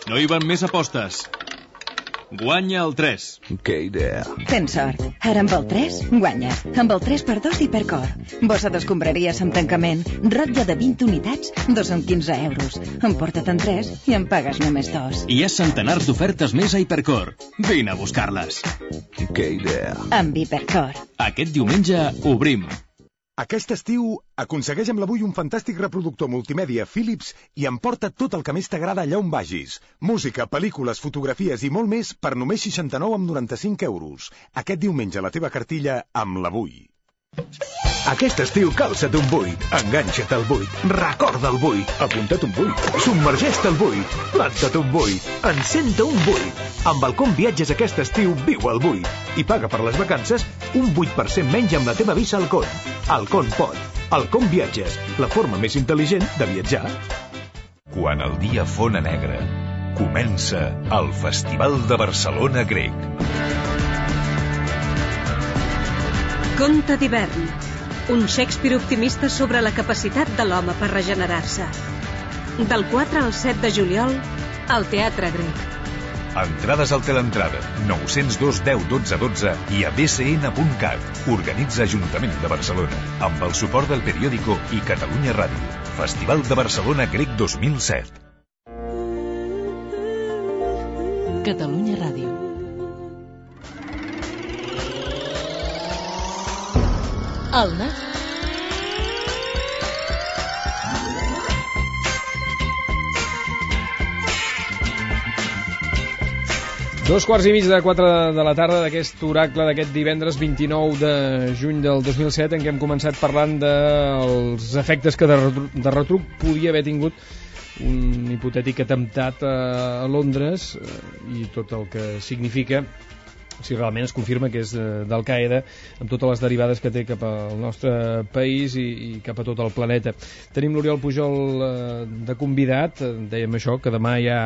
No hi van més apostes. Guanya el tres. Que idea. Tens sort. Ara amb el tres, guanyes. Amb el tres per dos d'Hipercor. Bossa d'escombraries amb tancament. Rotlla de vint unitats, dos amb quinze euros. Emporta't en tres i en pagues només dos. Hi ha centenars d'ofertes més a Hipercor. Vine a buscar-les. Que idea. Amb Hipercor. Aquest diumenge obrim. Aquest estiu, aconsegueix amb l'Avui un fantàstic reproductor multimèdia Philips i emporta tot el que més t'agrada allà on vagis. Música, pel·lícules, fotografies i molt més per només seixanta-nou amb noranta-cinc euros. Aquest diumenge la teva cartilla amb l'Avui. Aquest estiu calça't un buit, enganxa't al buit, recorda el buit, apunta't un buit, submergeix-te al buit, planta't un buit, encén-te un buit. Amb el Com Viatges aquest estiu viu el buit i paga per les vacances un vuit per cent menys amb la teva visa Alcon. Alcon pot. Alcon Viatges, la forma més intel·ligent de viatjar. Quan el dia fona negre, comença el Festival de Barcelona Grec. Conte d'hivern. Un Shakespeare optimista sobre la capacitat de l'home per regenerar-se. Del quatre al set de juliol, al Teatre Grec. Entrades al Teleentrada, nou zero dos deu dotze dotze i a b c n punt cat. Organitza Ajuntament de Barcelona, amb el suport del Periódico i Catalunya Ràdio. Festival de Barcelona Grec dos mil set. Catalunya Ràdio. El N A F. Dos quarts i mig de quatre de la tarda d'aquest oracle d'aquest divendres vint-i-nou de juny del dos mil set, en què hem començat parlant dels efectes que de, retruc, de retruc podia haver tingut un hipotètic atemptat a Londres i tot el que significa si realment es confirma que és d'Al-Qaeda, amb totes les derivades que té cap al nostre país i, i cap a tot el planeta. Tenim l'Oriol Pujol eh, de convidat, dèiem això, que demà ja...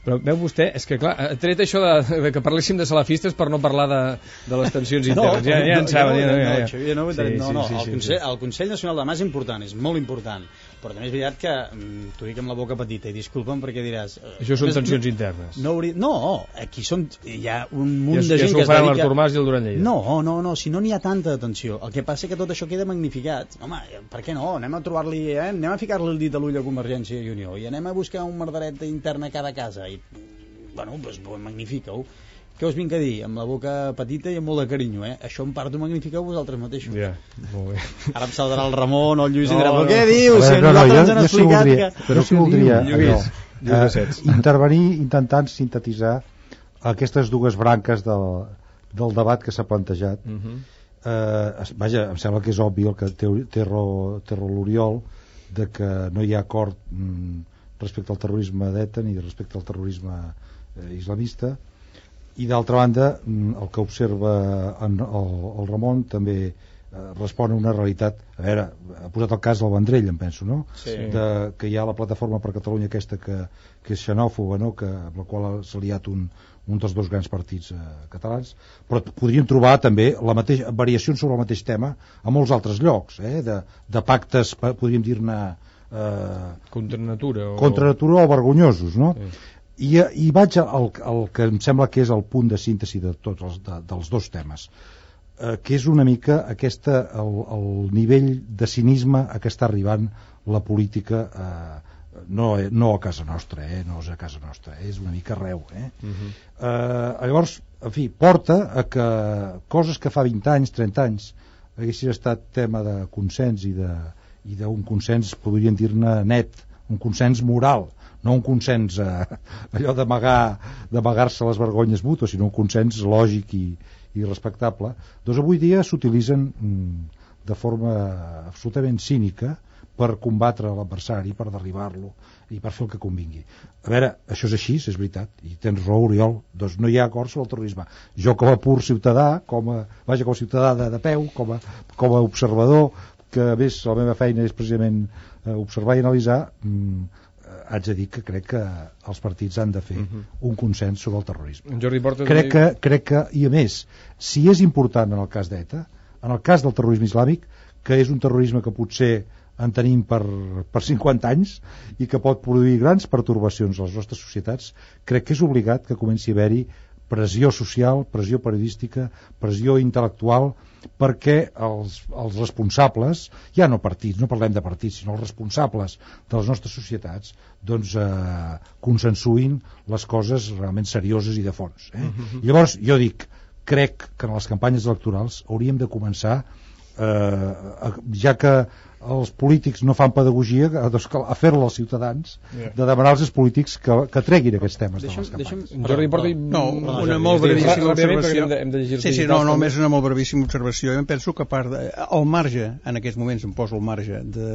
Però veu vostè, és que clar, ha tret això de, de que parléssim de salafistes per no parlar de, de les tensions internes. No, ja, ja en saben. No, ja, no, ja, ja. Xavier, no, sí, no, no, sí, sí, el, sí, Consell, sí. el Consell Nacional de Mà és important, és molt important, però també és veritat que t'ho dic amb la boca petita i disculpa'm perquè diràs... Això són tensions internes. No, hauria, no, aquí són, hi ha un munt ja, de gent ja que es dedica... l'Artur Mas i el Duran Lleida. No, no, no, si no n'hi ha tanta atenció. El que passa és que tot això queda magnificat. Home, per què no? Anem a trobar-li, eh? Anem a ficar-li el dit a l'ull a Convergència i Unió i anem a buscar un merdaret intern a cada casa i, bueno, doncs magnifiqueu. Què us vinc a dir? Amb la boca petita i amb molt de carinyo, eh? Això en part ho magnifiqueu vosaltres mateixos. Ja, molt bé. Ara em saltarà el Ramon o el Lluís no, i dirà, però no. què dius? Veure, Si no, nosaltres no, ens han jo, explicat jo sí voldria, que... jo sí voldria Lluís, allò, eh, intervenir intentant sintetitzar aquestes dues branques del, del debat que s'ha plantejat. Uh -huh. eh, vaja, em sembla que és obvi el que té, té raó, té raó l'Oriol de que no hi ha acord mm, respecte al terrorisme d'ETA ni respecte al terrorisme eh, islamista, i d'altra banda mm, el que observa en, el, el Ramon també eh, respon a una realitat. A veure, ha posat el cas del Vendrell, em penso, no? Sí. De, que hi ha la plataforma per Catalunya aquesta que, que és xenòfoba, no? Que, amb la qual s'ha liat un, un dels dos grans partits eh, catalans, però podríem trobar també la mateixa, variacions sobre el mateix tema a molts altres llocs, eh? de, de pactes, podríem dir-ne eh, contra natura o... contra natura o vergonyosos, no? Sí. I, i vaig al, al que em sembla que és el punt de síntesi de tots els, de, dels dos temes, eh, que és una mica aquesta, el, el nivell de cinisme a què està arribant la política, eh, no, no a casa nostra, eh, no és a casa nostra, eh, és una mica arreu, eh? Uh-huh. eh, llavors, en fi, porta a que coses que fa vint anys, trenta anys haguessin estat tema de consens i de, i d'un consens, podríem dir-ne net, un consens moral, no un consens eh, allò d'amagar d'amagar-se les vergonyes mútues, sinó un consens lògic i, i respectable, doncs avui dia s'utilitzen mm, de forma absolutament cínica per combatre l'adversari, per derribar-lo i per fer el que convingui. A veure, això és així, és veritat, i tens raó, Oriol, doncs no hi ha acord sobre el terrorisme. Jo com a pur ciutadà, com a, vaja, com a ciutadà de, de peu, com a, com a observador, que a més la meva feina és precisament eh, observar i analitzar, mm, haig de dir que crec que els partits han de fer uh-huh. un consens sobre el terrorisme. Jordi Porta crec, també... que, crec que, i a més, si és important en el cas d'ETA, en el cas del terrorisme islàmic, que és un terrorisme que potser en tenim per, per cinquanta anys i que pot produir grans pertorbacions a les nostres societats, crec que és obligat que comenci a haver-hi pressió social, pressió periodística, pressió intel·lectual, perquè els, els responsables, ja no partits, no parlem de partits, sinó els responsables de les nostres societats, doncs eh, consensuïn les coses realment serioses i de fons. Eh? Uh-huh. Llavors, jo dic, crec que en les campanyes electorals hauríem de començar, eh, ja que els polítics no fan pedagogia, doncs a fer-la als ciutadans, yeah. de demanar als polítics que, que treguin aquests temes deixa'm, de les campanyes. Deixa'm, Jordi Porta... No, una, una molt brevíssima observació. Hem de, hem de sí, sí, no, només una molt brevíssima observació. Jo em penso que a part de, al marge, en aquests moments em poso al marge de,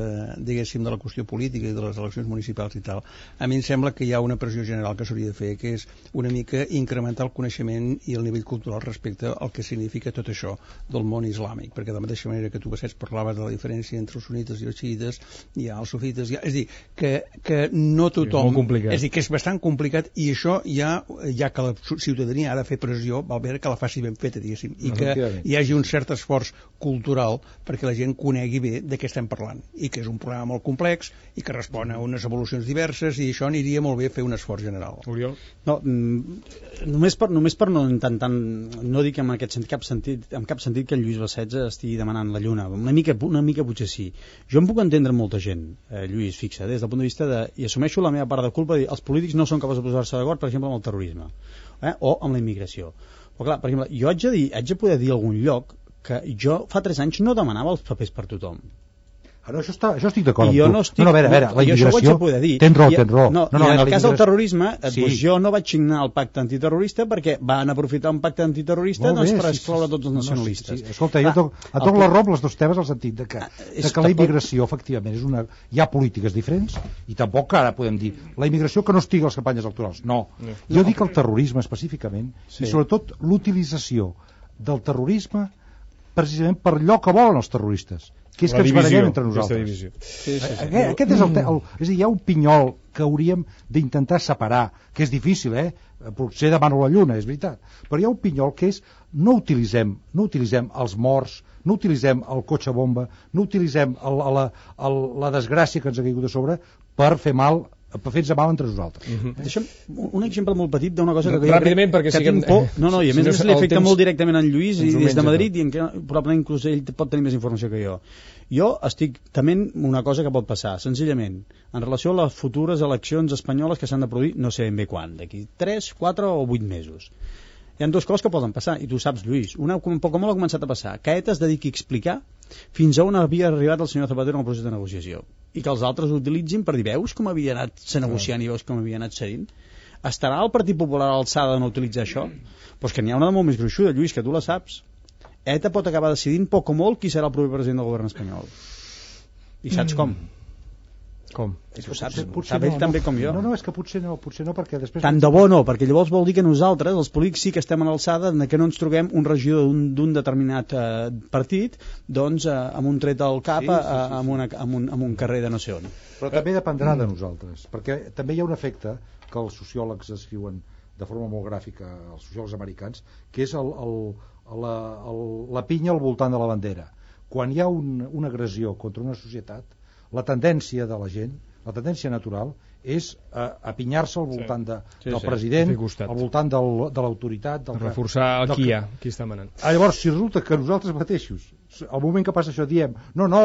diguéssim, de la qüestió política i de les eleccions municipals i tal, a mi em sembla que hi ha una pressió general que s'hauria de fer, que és una mica incrementar el coneixement i el nivell cultural respecte al que significa tot això del món islàmic, perquè de la mateixa manera que tu, Bassets, parlaves de la diferència entre els sunites i els xiites, hi ha els sufites, ha, és a dir, que, que no tothom... És molt complicat. És a dir, que és bastant complicat i això ja, ja que la ciutadania ha de fer pressió, val bé que la faci ben feta, diguéssim, i que hi hagi un cert esforç cultural perquè la gent conegui bé de què estem parlant, i que és un problema molt complex i que respon a unes evolucions diverses, i això aniria molt bé fer un esforç general. Oriol? No, mm, només, per, només per no intentar, no dic en aquest sentit, cap sentit, en cap sentit que en Lluís Bassets estigui demanant la lluna, una mica, una mica potser sí. Jo em puc entendre molta gent, eh, Lluís, fixa, des del punt de vista de, i assumeixo la meva part de culpa, de dir, els polítics no són capaços de posar-se d'acord, per exemple, amb el terrorisme, eh, o amb la immigració. Però clar, per exemple, jo haig de dir, haig de poder dir a algun lloc que jo fa tres anys no demanava els papers per tothom. Ara, això, està, això estic d'acord amb tu. No, estic, no, no, a veure, a veure, la immigració... Tens raó, tens raó. No, no, no, I en el cas del terrorisme, sí. doncs jo no vaig signar el pacte antiterrorista perquè van aprofitar un pacte antiterrorista doncs, bé, per sí, excloure sí, tots els nacionalistes. No, sí, sí. Escolta, jo toc, a toc la rob les dos temes al sentit de que, de que la immigració, efectivament, és una, hi ha polítiques diferents i tampoc ara podem dir la immigració que no estigui a les campanyes electorals. No. no. Jo dic el terrorisme específicament sí. i sobretot l'utilització del terrorisme precisament per allò que volen els terroristes, que és la que ens barallem entre nosaltres. Sí, sí, sí. Aquest, aquest és el, el, és a dir, hi ha un pinyol que hauríem d'intentar separar, que és difícil, eh? Potser demano la lluna, és veritat, però hi ha un pinyol que és no utilitzem, no utilitzem els morts, no utilitzem el cotxe bomba, no utilitzem el, la, el, la desgràcia que ens ha caigut a sobre per fer mal, per fer-nos mal entre nosaltres. Uh-huh. Deixa'm un exemple molt petit d'una cosa que, ràpidament, que, perquè que siguem... tinc por. No, no, i a més, si no, li afecta temps... molt directament en Lluís i des de Madrid, i en què, probablement inclús ell pot tenir més informació que jo. Jo estic tement una cosa que pot passar, senzillament, en relació a les futures eleccions espanyoles que s'han de produir, no sé ben bé quan, d'aquí tres, quatre o vuit mesos. Hi ha dues coses que poden passar, i tu saps, Lluís. Una, un poc com ha començat a passar, que ETA es dediqui a explicar fins a on havia arribat el senyor Zapatero en el procés de negociació, i que els altres utilitzin per dir, veus com havia anat se negociant i veus com havia anat cedint? Estarà el Partit Popular a l'alçada de no utilitzar això? Doncs que n'hi ha una de molt més gruixuda, Lluís, que tu la saps. ETA pot acabar decidint poc o molt qui serà el proper president del govern espanyol. I saps com? Com? És que saps, sap ell també com jo. No, no, és que potser no, potser no, perquè després... Tant de bo no, perquè llavors vol dir que nosaltres, els polítics, sí que estem a l'alçada de que no ens trobem un regidor d'un determinat eh, partit, doncs, eh, amb un tret al cap, sí, sí, sí, sí. Amb, una, amb, un, amb un carrer de no sé on. Però també dependrà de nosaltres, perquè també hi ha un efecte que els sociòlegs escriuen de forma molt gràfica, els sociòlegs americans, que és el, el, la, el, la pinya al voltant de la bandera. Quan hi ha un, una agressió contra una societat, la tendència de la gent, la tendència natural, és uh, apinyar-se al voltant de, sí, del sí, president, al voltant del, de l'autoritat... Del reforçar el qui hi ha, qui està manant. Ah, llavors, si resulta que nosaltres mateixos, al moment que passa això, diem no, no,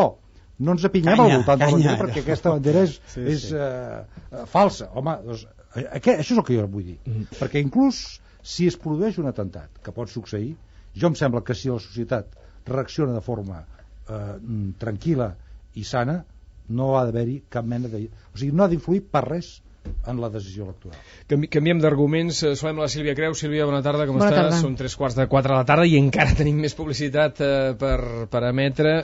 no ens apinyem canya, al voltant de la bandera perquè aquesta bandera és, sí, és sí. Uh, falsa. Home, doncs, aquest, això és el que jo vull dir. Mm. Perquè inclús si es produeix un atemptat, que pot succeir, jo em sembla que si la societat reacciona de forma uh, tranquil·la i sana, no ha d'haver-hi cap mena de... O sigui, no ha d'influir per res en la decisió electoral. Canvi, canviem d'arguments. Saludem a la Sílvia Creu. Sílvia, bona tarda, com bona estàs? Tarda. Són tres quarts de quatre de la tarda i encara tenim més publicitat eh, per, per emetre.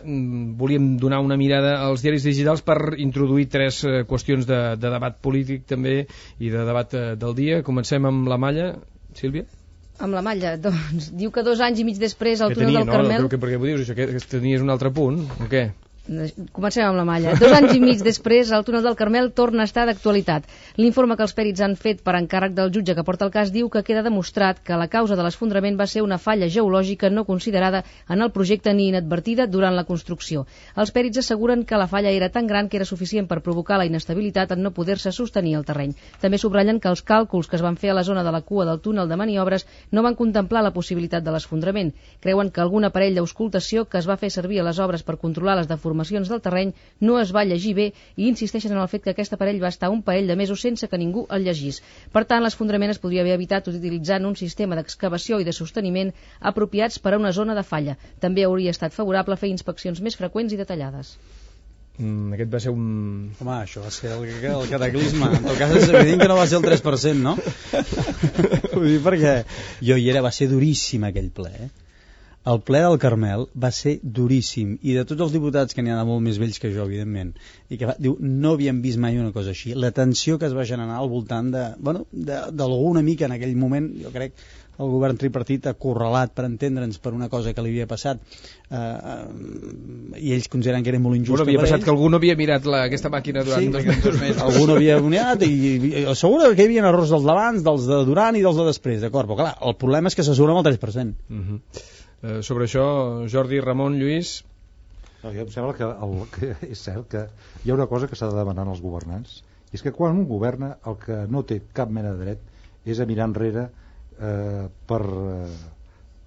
Volíem donar una mirada als diaris digitals per introduir tres eh, qüestions de, de debat polític també i de debat eh, del dia. Comencem amb la Malla. Sílvia? Amb la Malla, doncs, diu que dos anys i mig després al que túnel tenia, del no? Carmel... No, que, perquè ho dius, això, que, que tenies un altre punt, o què? Comencem amb la Malla. Dos anys i mig després, el túnel del Carmel torna a estar d'actualitat. L'informe que els pèrits han fet per encàrrec del jutge que porta el cas diu que queda demostrat que la causa de l'esfondrament va ser una falla geològica no considerada en el projecte ni inadvertida durant la construcció. Els pèrits asseguren que la falla era tan gran que era suficient per provocar la inestabilitat en no poder-se sostenir el terreny. També subratllen que els càlculs que es van fer a la zona de la cua del túnel de maniobres no van contemplar la possibilitat de l'esfondrament. Creuen que algun aparell d'auscultació que es va fer servir a les obres per controlar les deformacions del terreny no es va llegir bé i insisteixen en el fet que aquest aparell va estar un parell de mesos sense que ningú el llegís. Per tant, l'esfondrament es podria haver evitat utilitzant un sistema d'excavació i de sosteniment apropiats per a una zona de falla. També hauria estat favorable fer inspeccions més freqüents i detallades. Mm, aquest va ser un... Home, això va ser el, el cataclisme. En tot cas és evident que no va ser el tres per cent, no? Vull dir, perquè jo hi era, va ser duríssim aquell ple, eh? El ple del Carmel va ser duríssim i de tots els diputats, que n'hi ha de molt més vells que jo, evidentment, i que va, diu, no havíem vist mai una cosa així. La tensió que es va generar al voltant de, bueno, d'alguna mica en aquell moment, jo crec, el govern tripartit acorralat, per entendre'ns, per una cosa que li havia passat, eh, eh, i ells consideren que era molt injusta. Bueno, havia per passat ells. Que algú no havia mirat la, aquesta màquina durant sí, dos, dos mesos. Algú no havia mirat i, i assegura que hi havia errors dels d'abans, dels de durant i dels de després, d'acord? Però clar, el problema és que s'assegura amb el tres per cent. Uh -huh. Uh, sobre això, Jordi, Ramon, Lluís... No, jo em sembla que, el, que és cert que hi ha una cosa que s'ha de demanar als governants, i és que quan un governa el que no té cap mena de dret és a mirar enrere eh, per, eh,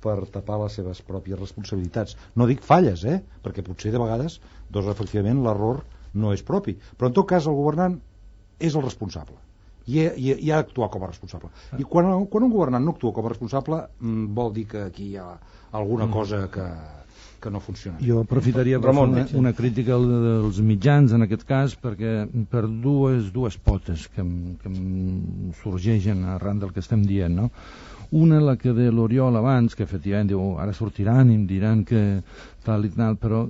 per tapar les seves pròpies responsabilitats. No dic falles, eh? Perquè potser de vegades doncs, efectivament l'error no és propi, però en tot cas el governant és el responsable i, i, i ha d'actuar com a responsable. I quan, quan un governant no actua com a responsable mm, vol dir que aquí hi ha alguna cosa que, que no funciona. Jo aprofitaria per Ramon, una, una crítica dels mitjans en aquest cas, perquè per dues, dues potes que, que em sorgeixen arran del que estem dient, no? Una, la que de l'Oriol abans, que efectivament diu, ara sortiran i em diran que tal i tal, però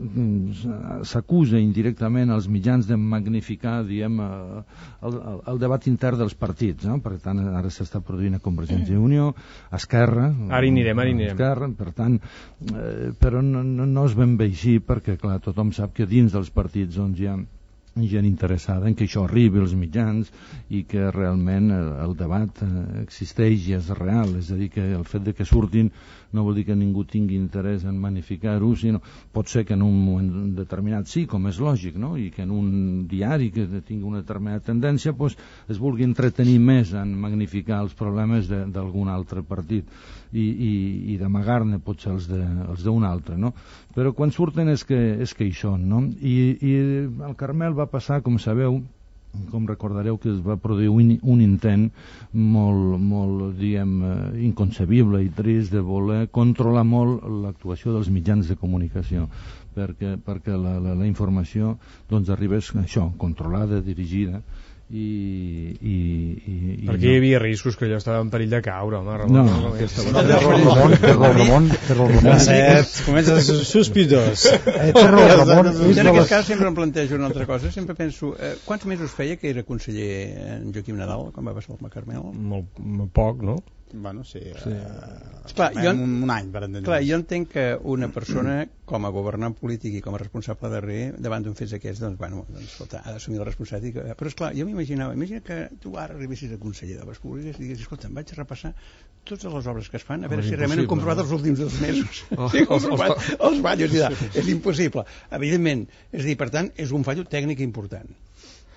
s'acusa indirectament als mitjans de magnificar, diem, el, el, el debat intern dels partits, no? Per tant, ara s'està produint a Convergència i Unió, a Esquerra... Ara hi anirem, ara hi anirem. Esquerra, per tant, eh, però no, no, no és ben bé així, perquè, clar, tothom sap que dins dels partits doncs, hi ha gent interessada en que això arribi als mitjans i que realment el, el debat existeix i és real, és a dir, que el fet de que surtin no vol dir que ningú tingui interès en magnificar-ho, sinó pot ser que en un moment determinat sí, com és lògic, no? I que en un diari que tingui una determinada tendència pues, es vulgui entretenir més en magnificar els problemes d'algun altre partit i, i, i d'amagar-ne potser els d'un altre, no? Però quan surten és que, és que hi són, no? I, i el Carmel va passar, com sabeu, com recordareu que es va produir un, un intent molt, molt diguem, inconcebible i trist de voler controlar molt l'actuació dels mitjans de comunicació perquè, perquè la, la, la informació doncs arribés això, controlada, dirigida i, i, i, i perquè no. hi havia riscos que allò estava en perill de caure, home, Ramon. No, no, no, aquesta no, no, Ramon, Ramon, Ramon. Comença sospitós. Ramon, en aquest cas sempre em plantejo una altra cosa, sempre penso, eh, quants mesos feia que era conseller en Joaquim Nadal, quan va passar el Carmel? Molt, molt poc, no? Bueno, sí, sí. Uh, clar, jo, un, un any per entendre. Clar, jo entenc que una persona com a governant polític i com a responsable darrer davant d'un fet d'aquests, doncs, bueno, doncs, escolta, ha d'assumir la responsabilitat. Però esclar, jo m'imaginava, imagina que tu ara arribessis a conseller d'Obres Públiques i diguessis, escolta, em vaig a repassar totes les obres que es fan, a veure oh, si realment han comprovat no? els últims dos mesos. Oh, si han comprovat els, els ballos i tal. És impossible. Evidentment, és a dir, per tant, és un fallo tècnic important.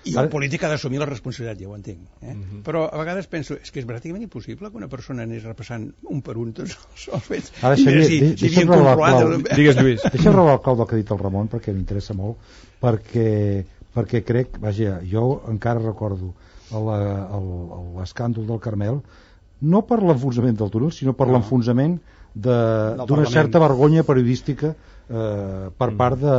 I el polític ha d'assumir la responsabilitat, ja ho entenc. Eh? Uh-huh. Però a vegades penso, és que és pràcticament impossible que una persona anés repassant un per un tots els fets. Ara, Xavier, si, si deixa'm robar el clau. Digues, Lluís. Deixa'm robar el clau del que ha dit el Ramon, perquè m'interessa molt, perquè, perquè crec, vaja, jo encara recordo l'escàndol del Carmel, no per l'enfonsament del túnel, sinó per no. l'enfonsament d'una certa vergonya periodística eh, per part de,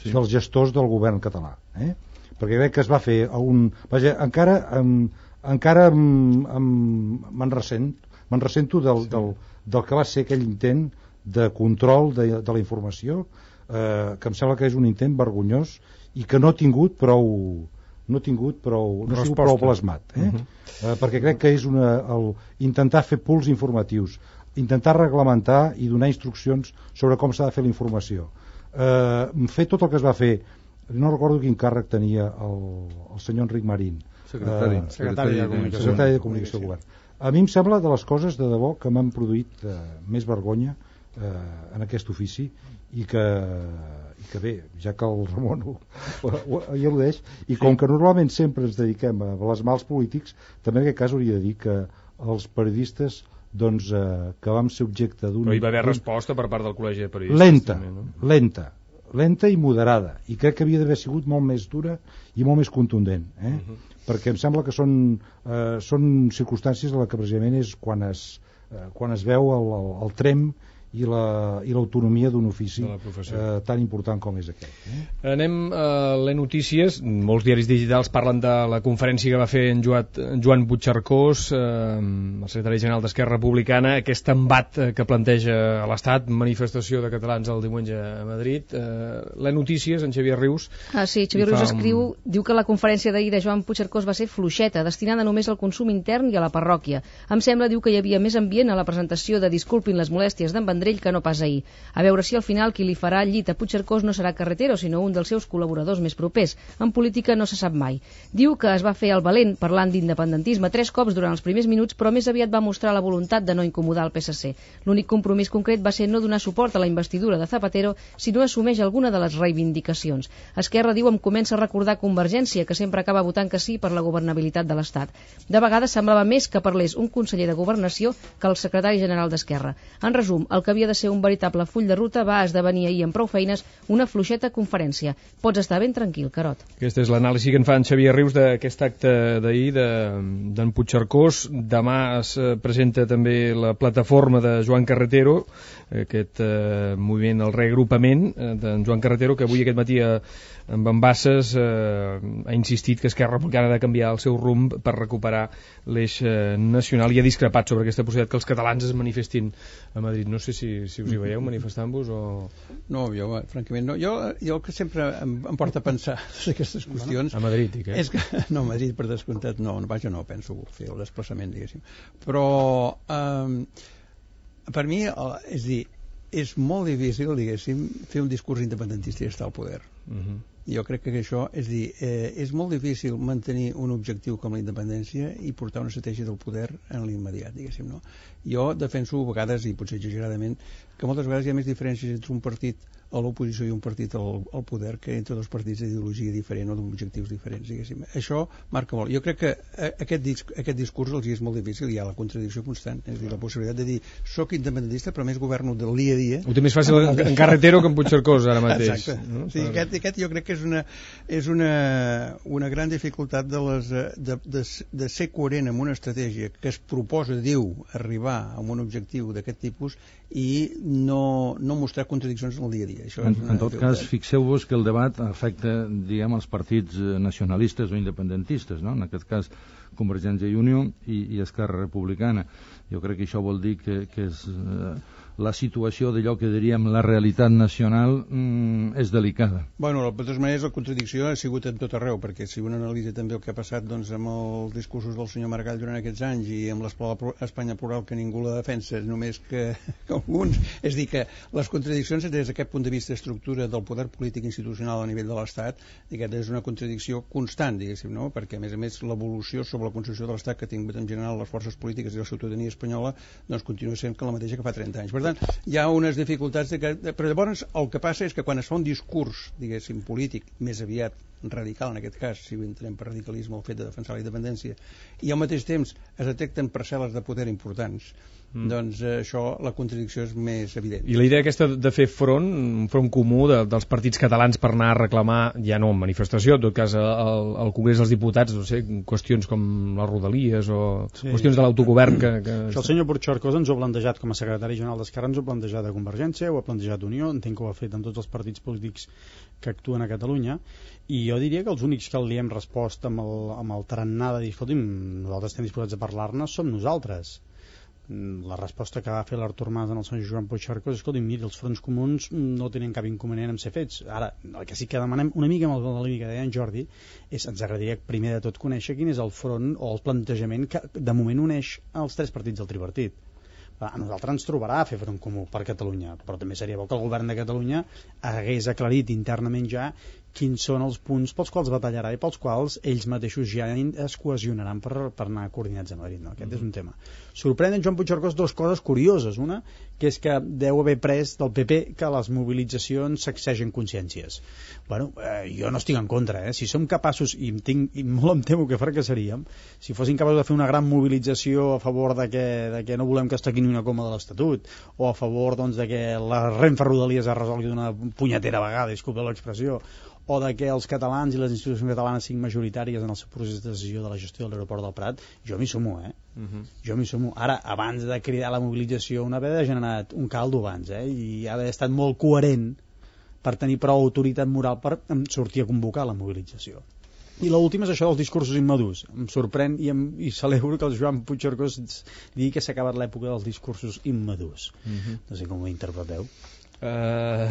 sí. dels gestors del govern català. Eh? Perquè crec que es va fer un... Vaja, encara em, encara me'n ressent, me'n ressento del, sí. del, del que va ser aquell intent de control de, de la informació, eh, que em sembla que és un intent vergonyós i que no ha tingut prou no ha tingut prou, no ha sigut prou plasmat, eh? Uh-huh. eh, perquè crec que és una, el, intentar fer pools informatius, intentar reglamentar i donar instruccions sobre com s'ha de fer la informació, eh, fer tot el que es va fer. No recordo quin càrrec tenia el, el senyor Enric Marín, secretari, eh, secretari, de, comunicació, secretari de Comunicació del Govern. A mi em sembla de les coses de debò que m'han produït eh, més vergonya eh, en aquest ofici i que, i que bé, ja que el Ramon ho, ho, ho, ho al·ludeix, i com que normalment sempre ens dediquem a blasmar els polítics, també en aquest cas hauria de dir que els periodistes doncs, eh, que vam ser objecte d'un... Però hi va haver resposta per part del Col·legi de Periodistes. Lenta, també, no? lenta. lenta i moderada, i crec que havia d'haver sigut molt més dura i molt més contundent, eh? Uh-huh. Perquè em sembla que són, eh, són circumstàncies en les que precisament és quan es, eh, quan es veu el, el, el trem i la, i l'autonomia d'un ofici eh, tan important com és aquest. Eh? Anem a les notícies. Molts diaris digitals parlen de la conferència que va fer en Joan, en Joan Puigcercós, eh, el secretari general d'Esquerra Republicana, aquest embat que planteja a l'Estat, manifestació de catalans el diumenge a Madrid. Eh, les notícies, en Xavier Rius... Ah, sí, Xavier Rius escriu, un... diu que la conferència d'ahir de Joan Puigcercós va ser fluixeta, destinada només al consum intern i a la parròquia. Em sembla, diu, que hi havia més ambient a la presentació de Disculpin les molèsties d'en Vendrell que no pas ahir. A veure si al final qui li farà el llit a Puigcercós no serà Carretero, sinó un dels seus col·laboradors més propers. En política no se sap mai. Diu que es va fer el valent parlant d'independentisme tres cops durant els primers minuts, però més aviat va mostrar la voluntat de no incomodar el P S C. L'únic compromís concret va ser no donar suport a la investidura de Zapatero si no assumeix alguna de les reivindicacions. Esquerra, diu, em comença a recordar Convergència, que sempre acaba votant que sí per la governabilitat de l'Estat. De vegades semblava més que parlés un conseller de Governació que el secretari general d'Esquerra. En resum, el que havia de ser un veritable full de ruta va esdevenir ahir amb prou feines una fluixeta conferència. Pots estar ben tranquil, Carot. Aquesta és l'anàlisi que en fa en Xavier Rius d'aquest acte d'ahir d'en de, Puigcercós. Demà es presenta també la plataforma de Joan Carretero, aquest eh, moviment, el reagrupament eh, d'en Joan Carretero, que avui aquest matí a, amb Embasses eh, ha insistit que Esquerra Republicana ha de canviar el seu rumb per recuperar l'eix eh, nacional i ha discrepat sobre aquesta possibilitat que els catalans es manifestin a Madrid. No sé si, si us hi veieu manifestant-vos o... No, jo, francament, no. Jo, jo el que sempre em, em porta a pensar aquestes qüestions... A Madrid, i què? És que, no, a Madrid, per descomptat, no, vaja, no penso fer el desplaçament, diguéssim. Però, eh, per mi, és dir, és molt difícil, diguéssim, fer un discurs independentista i estar al poder. Uh-huh. Jo crec que això, és dir, eh, és molt difícil mantenir un objectiu com la independència i portar una estratègia del poder en l'immediat, diguéssim, no? Jo defenso a vegades, i potser exageradament, que moltes vegades hi ha més diferències entre un partit a l'oposició i un partit al, al poder que entre dos partits d'ideologia diferent o d'objectius diferents, diguéssim. Això marca molt. Jo crec que aquest, disc, aquest discurs els és molt difícil, hi ha la contradicció constant, és a dir, la possibilitat de dir soc independentista però més governo del dia a dia. Ho té més fàcil en, en Carretero que en Puigcercós ara mateix. Exacte. No? Sí, aquest, aquest jo crec que és una, és una, una gran dificultat de, les, de, de, de ser coherent amb una estratègia que es proposa, diu, arribar a un objectiu d'aquest tipus i no, no mostrar contradiccions en el dia a dia. Això en, una... en tot cas, fixeu-vos que el debat afecta, diguem, els partits nacionalistes o independentistes, no? En aquest cas, Convergència i Unió i, i Esquerra Republicana. Jo crec que això vol dir que, que és, eh, la situació d'allò que diríem la realitat nacional mm, és delicada. Bueno, de totes maneres, la contradicció ha sigut en tot arreu, perquè si un analitza també el que ha passat doncs, amb els discursos del senyor Maragall durant aquests anys i amb l'Espanya plural que ningú la defensa, només que, que alguns, és dir, que les contradiccions des d'aquest punt de vista d'estructura del poder polític institucional a nivell de l'Estat, aquesta és una contradicció constant, diguéssim, no? Perquè a més a més l'evolució sobre la concepció de l'Estat que ha tingut en general les forces polítiques i la ciutadania espanyola doncs continua sent que la mateixa que fa trenta anys. Per tant, hi ha unes dificultats de que, però llavors el que passa és que quan es fa un discurs, diguéssim, polític, més aviat radical en aquest cas, si ho entenem per radicalisme el fet de defensar la independència, i al mateix temps es detecten parcel·les de poder importants, mm. doncs eh, això, la contradicció és més evident. I la idea aquesta de fer front, un front comú de, dels partits catalans per anar a reclamar, ja no en manifestació, en tot cas al, al Congrés dels Diputats, no sé, qüestions com les Rodalies o sí. qüestions de l'autogovern que... que... Això el senyor Puigcercós ens ho ha plantejat com a secretari general d'Esquerra, ens ho ha plantejat a Convergència, ho ha plantejat Unió, entenc que ho ha fet en tots els partits polítics que actuen a Catalunya, i jo diria que els únics que li hem respost amb el, amb el tarannà de dir, escolti'm, nosaltres estem disposats a parlar-ne, som nosaltres. La resposta que va fer l'Artur Mas en el senyor Joan Puigcercós és, escolti'm, mira, els fronts comuns no tenen cap inconvenient en ser fets. Ara, el que sí que demanem una mica amb el límit que deia en Jordi és, ens agradaria primer de tot conèixer quin és el front o el plantejament que de moment uneix els tres partits del tripartit. A nosaltres ens trobarà a fer front comú per Catalunya, però també seria bo que el govern de Catalunya hagués aclarit internament ja quins són els punts pels quals batallarà i pels quals ells mateixos ja es cohesionaran per, per anar coordinats a Madrid, no? Aquest mm. és un tema. Sorprèn en Joan Puigcercós dues coses curioses. Una, que és que deu haver pres del P P que les mobilitzacions sacsegen consciències. Bueno, eh, jo no estic en contra, eh? Si som capaços, i, em tinc, i molt em temo que fracassaríem, si fossin capaços de fer una gran mobilització a favor de que, de que no volem que es toqui ni una coma de l'Estatut, o a favor doncs, de que la Renfe Rodalies es resolgui d'una punyetera vegada, disculpa l'expressió, o de que els catalans i les institucions catalanes siguin majoritàries en el seu procés de decisió de la gestió de l'aeroport del Prat, jo m'hi sumo, eh? Uh-huh. Jo m'hi sumo. Ara, abans de cridar la mobilització, una vegada ha generat un caldo abans, eh? I ha d'haver estat molt coherent per tenir prou autoritat moral per sortir a convocar la mobilització. I l'última és això dels discursos immadurs. Em sorprèn i, em, i celebro que el Joan Puigcercós digui que s'ha acabat l'època dels discursos immadurs. Uh-huh. No sé com ho interpreteu. Uh,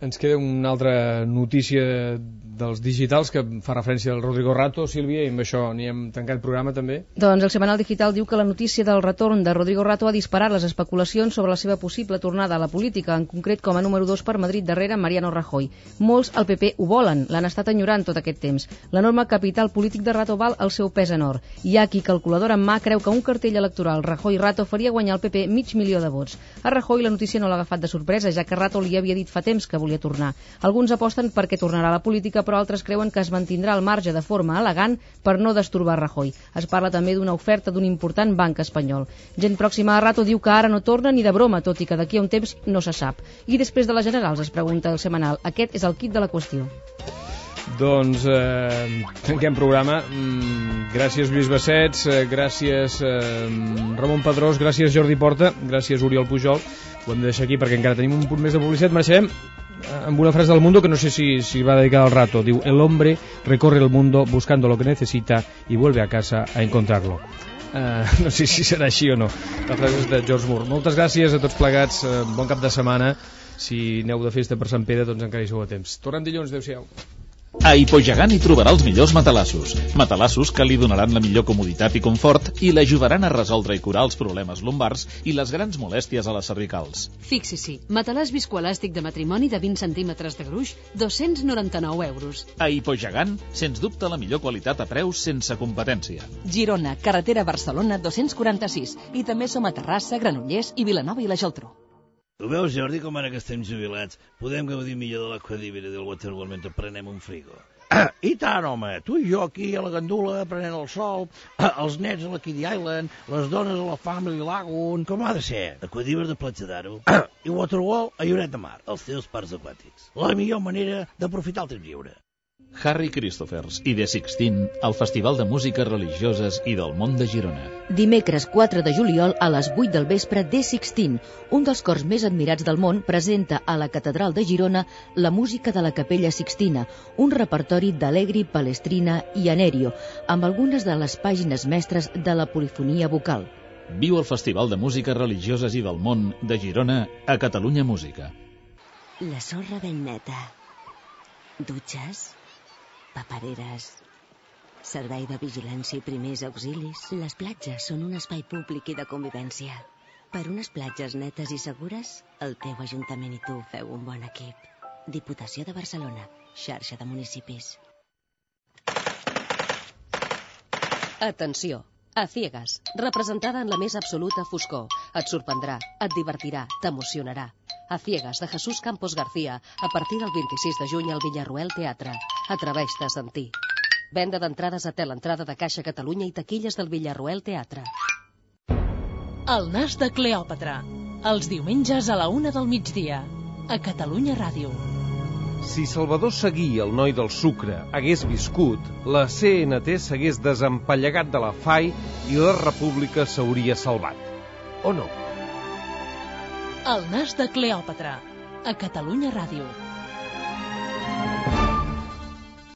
ens queda una altra notícia dels digitals que fa referència al Rodrigo Rato, Sílvia, i amb això n'hi hem tancat programa també. Doncs el Setmanal Digital diu que la notícia del retorn de Rodrigo Rato ha disparat les especulacions sobre la seva possible tornada a la política, en concret com a número dos per Madrid darrere Mariano Rajoy. Molts al P P ho volen, l'han estat enyorant tot aquest temps. L'enorme capital polític de Rato val el seu pes en or. Hi ha qui, calculadora en mà, creu que un cartell electoral Rajoy-Rato faria guanyar al P P mig milió de vots. A Rajoy la notícia no l'ha agafat de sorpresa, ja que Rato li havia dit fa temps que volia tornar. Alguns aposten perquè tornarà a la política, però altres creuen que es mantindrà al marge de forma elegant per no destorbar Rajoy. Es parla també d'una oferta d'un important banc espanyol. Gent pròxima a Rato diu que ara no torna ni de broma, tot i que d'aquí a un temps no se sap. I després de les generals, es pregunta el Setmanal. Aquest és el quid de la qüestió. Doncs eh, tanquem programa. Mm, gràcies Lluís Bassets, eh, gràcies eh, Ramon Pedrós, gràcies Jordi Porta, gràcies Oriol Pujol. Ho hem de deixar aquí perquè encara tenim un punt més de publicitat. Marxem amb una frase del Mundo que no sé si, si va dedicada al Rato. Diu: el hombre recorre el mundo buscando lo que necesita y vuelve a casa a encontrarlo. Uh, no sé si serà així o no. La frase és de George Moore. Moltes gràcies a tots plegats, uh, bon cap de setmana. Si aneu de festa per Sant Pere, doncs encara hi sou a temps. Tornem dilluns, adeu-siau. A Hipogegant hi trobarà els millors matalassos. Matalassos que li donaran la millor comoditat i confort i l'ajudaran a resoldre i curar els problemes lumbars i les grans molèsties a les cervicals. Fixi-s'hi, matalàs viscoelàstic de matrimoni de vint centímetres de gruix, dos-cents noranta-nou euros. A Hipogegant, sens dubte la millor qualitat a preus sense competència. Girona, carretera Barcelona dos-cents quaranta-sis. I també som a Terrassa, Granollers i Vilanova i la Geltrú. Ho veus, Jordi, com ara que estem jubilats podem gaudir millor de l'Aquadívera i del Waterworld mentre prenem un frigo? Ah, I tant, home, tu i jo aquí a la gandula prenent el sol, ah, els nets a la Kiddie Island, les dones a la Family Lagoon, com ha de ser? Aquadívera de Platja d'Aro ah, i Waterworld a Lloret de Mar, els teus parcs aquàtics. La millor manera d'aprofitar el temps lliure. Harry Christophers i The Sixteen al Festival de Músiques Religioses i del Món de Girona. Dimecres quatre de juliol a les vuit del vespre, The Sixteen, un dels cors més admirats del món, presenta a la Catedral de Girona la música de la Capella Sixtina, un repertori d'Allegri, Palestrina i Anerio, amb algunes de les pàgines mestres de la polifonia vocal. Viu el Festival de Músiques Religioses i del Món de Girona a Catalunya Música. La sorra ben neta. Dutxes, papereres, servei de vigilància i primers auxilis. Les platges són un espai públic i de convivència. Per unes platges netes i segures, el teu Ajuntament i tu feu un bon equip. Diputació de Barcelona, xarxa de municipis. Atenció! A ciegas, representada en la més absoluta foscor. Et sorprendrà, et divertirà, t'emocionarà. A ciegas, de Jesús Campos García, a partir del vint-i-sis de juny al Villarroel Teatre. Atreveix-te a sentir. Venda d'entrades a Teleentrada de Caixa Catalunya i taquilles del Villarroel Teatre. El nas de Cleòpatra, els diumenges a la una del migdia, a Catalunya Ràdio. Si Salvador Seguí, el noi del sucre, hagués viscut, la C N T s'hagués desempallegat de la F A I i la República s'hauria salvat. O no? El nas de Cleòpatra, a Catalunya Ràdio.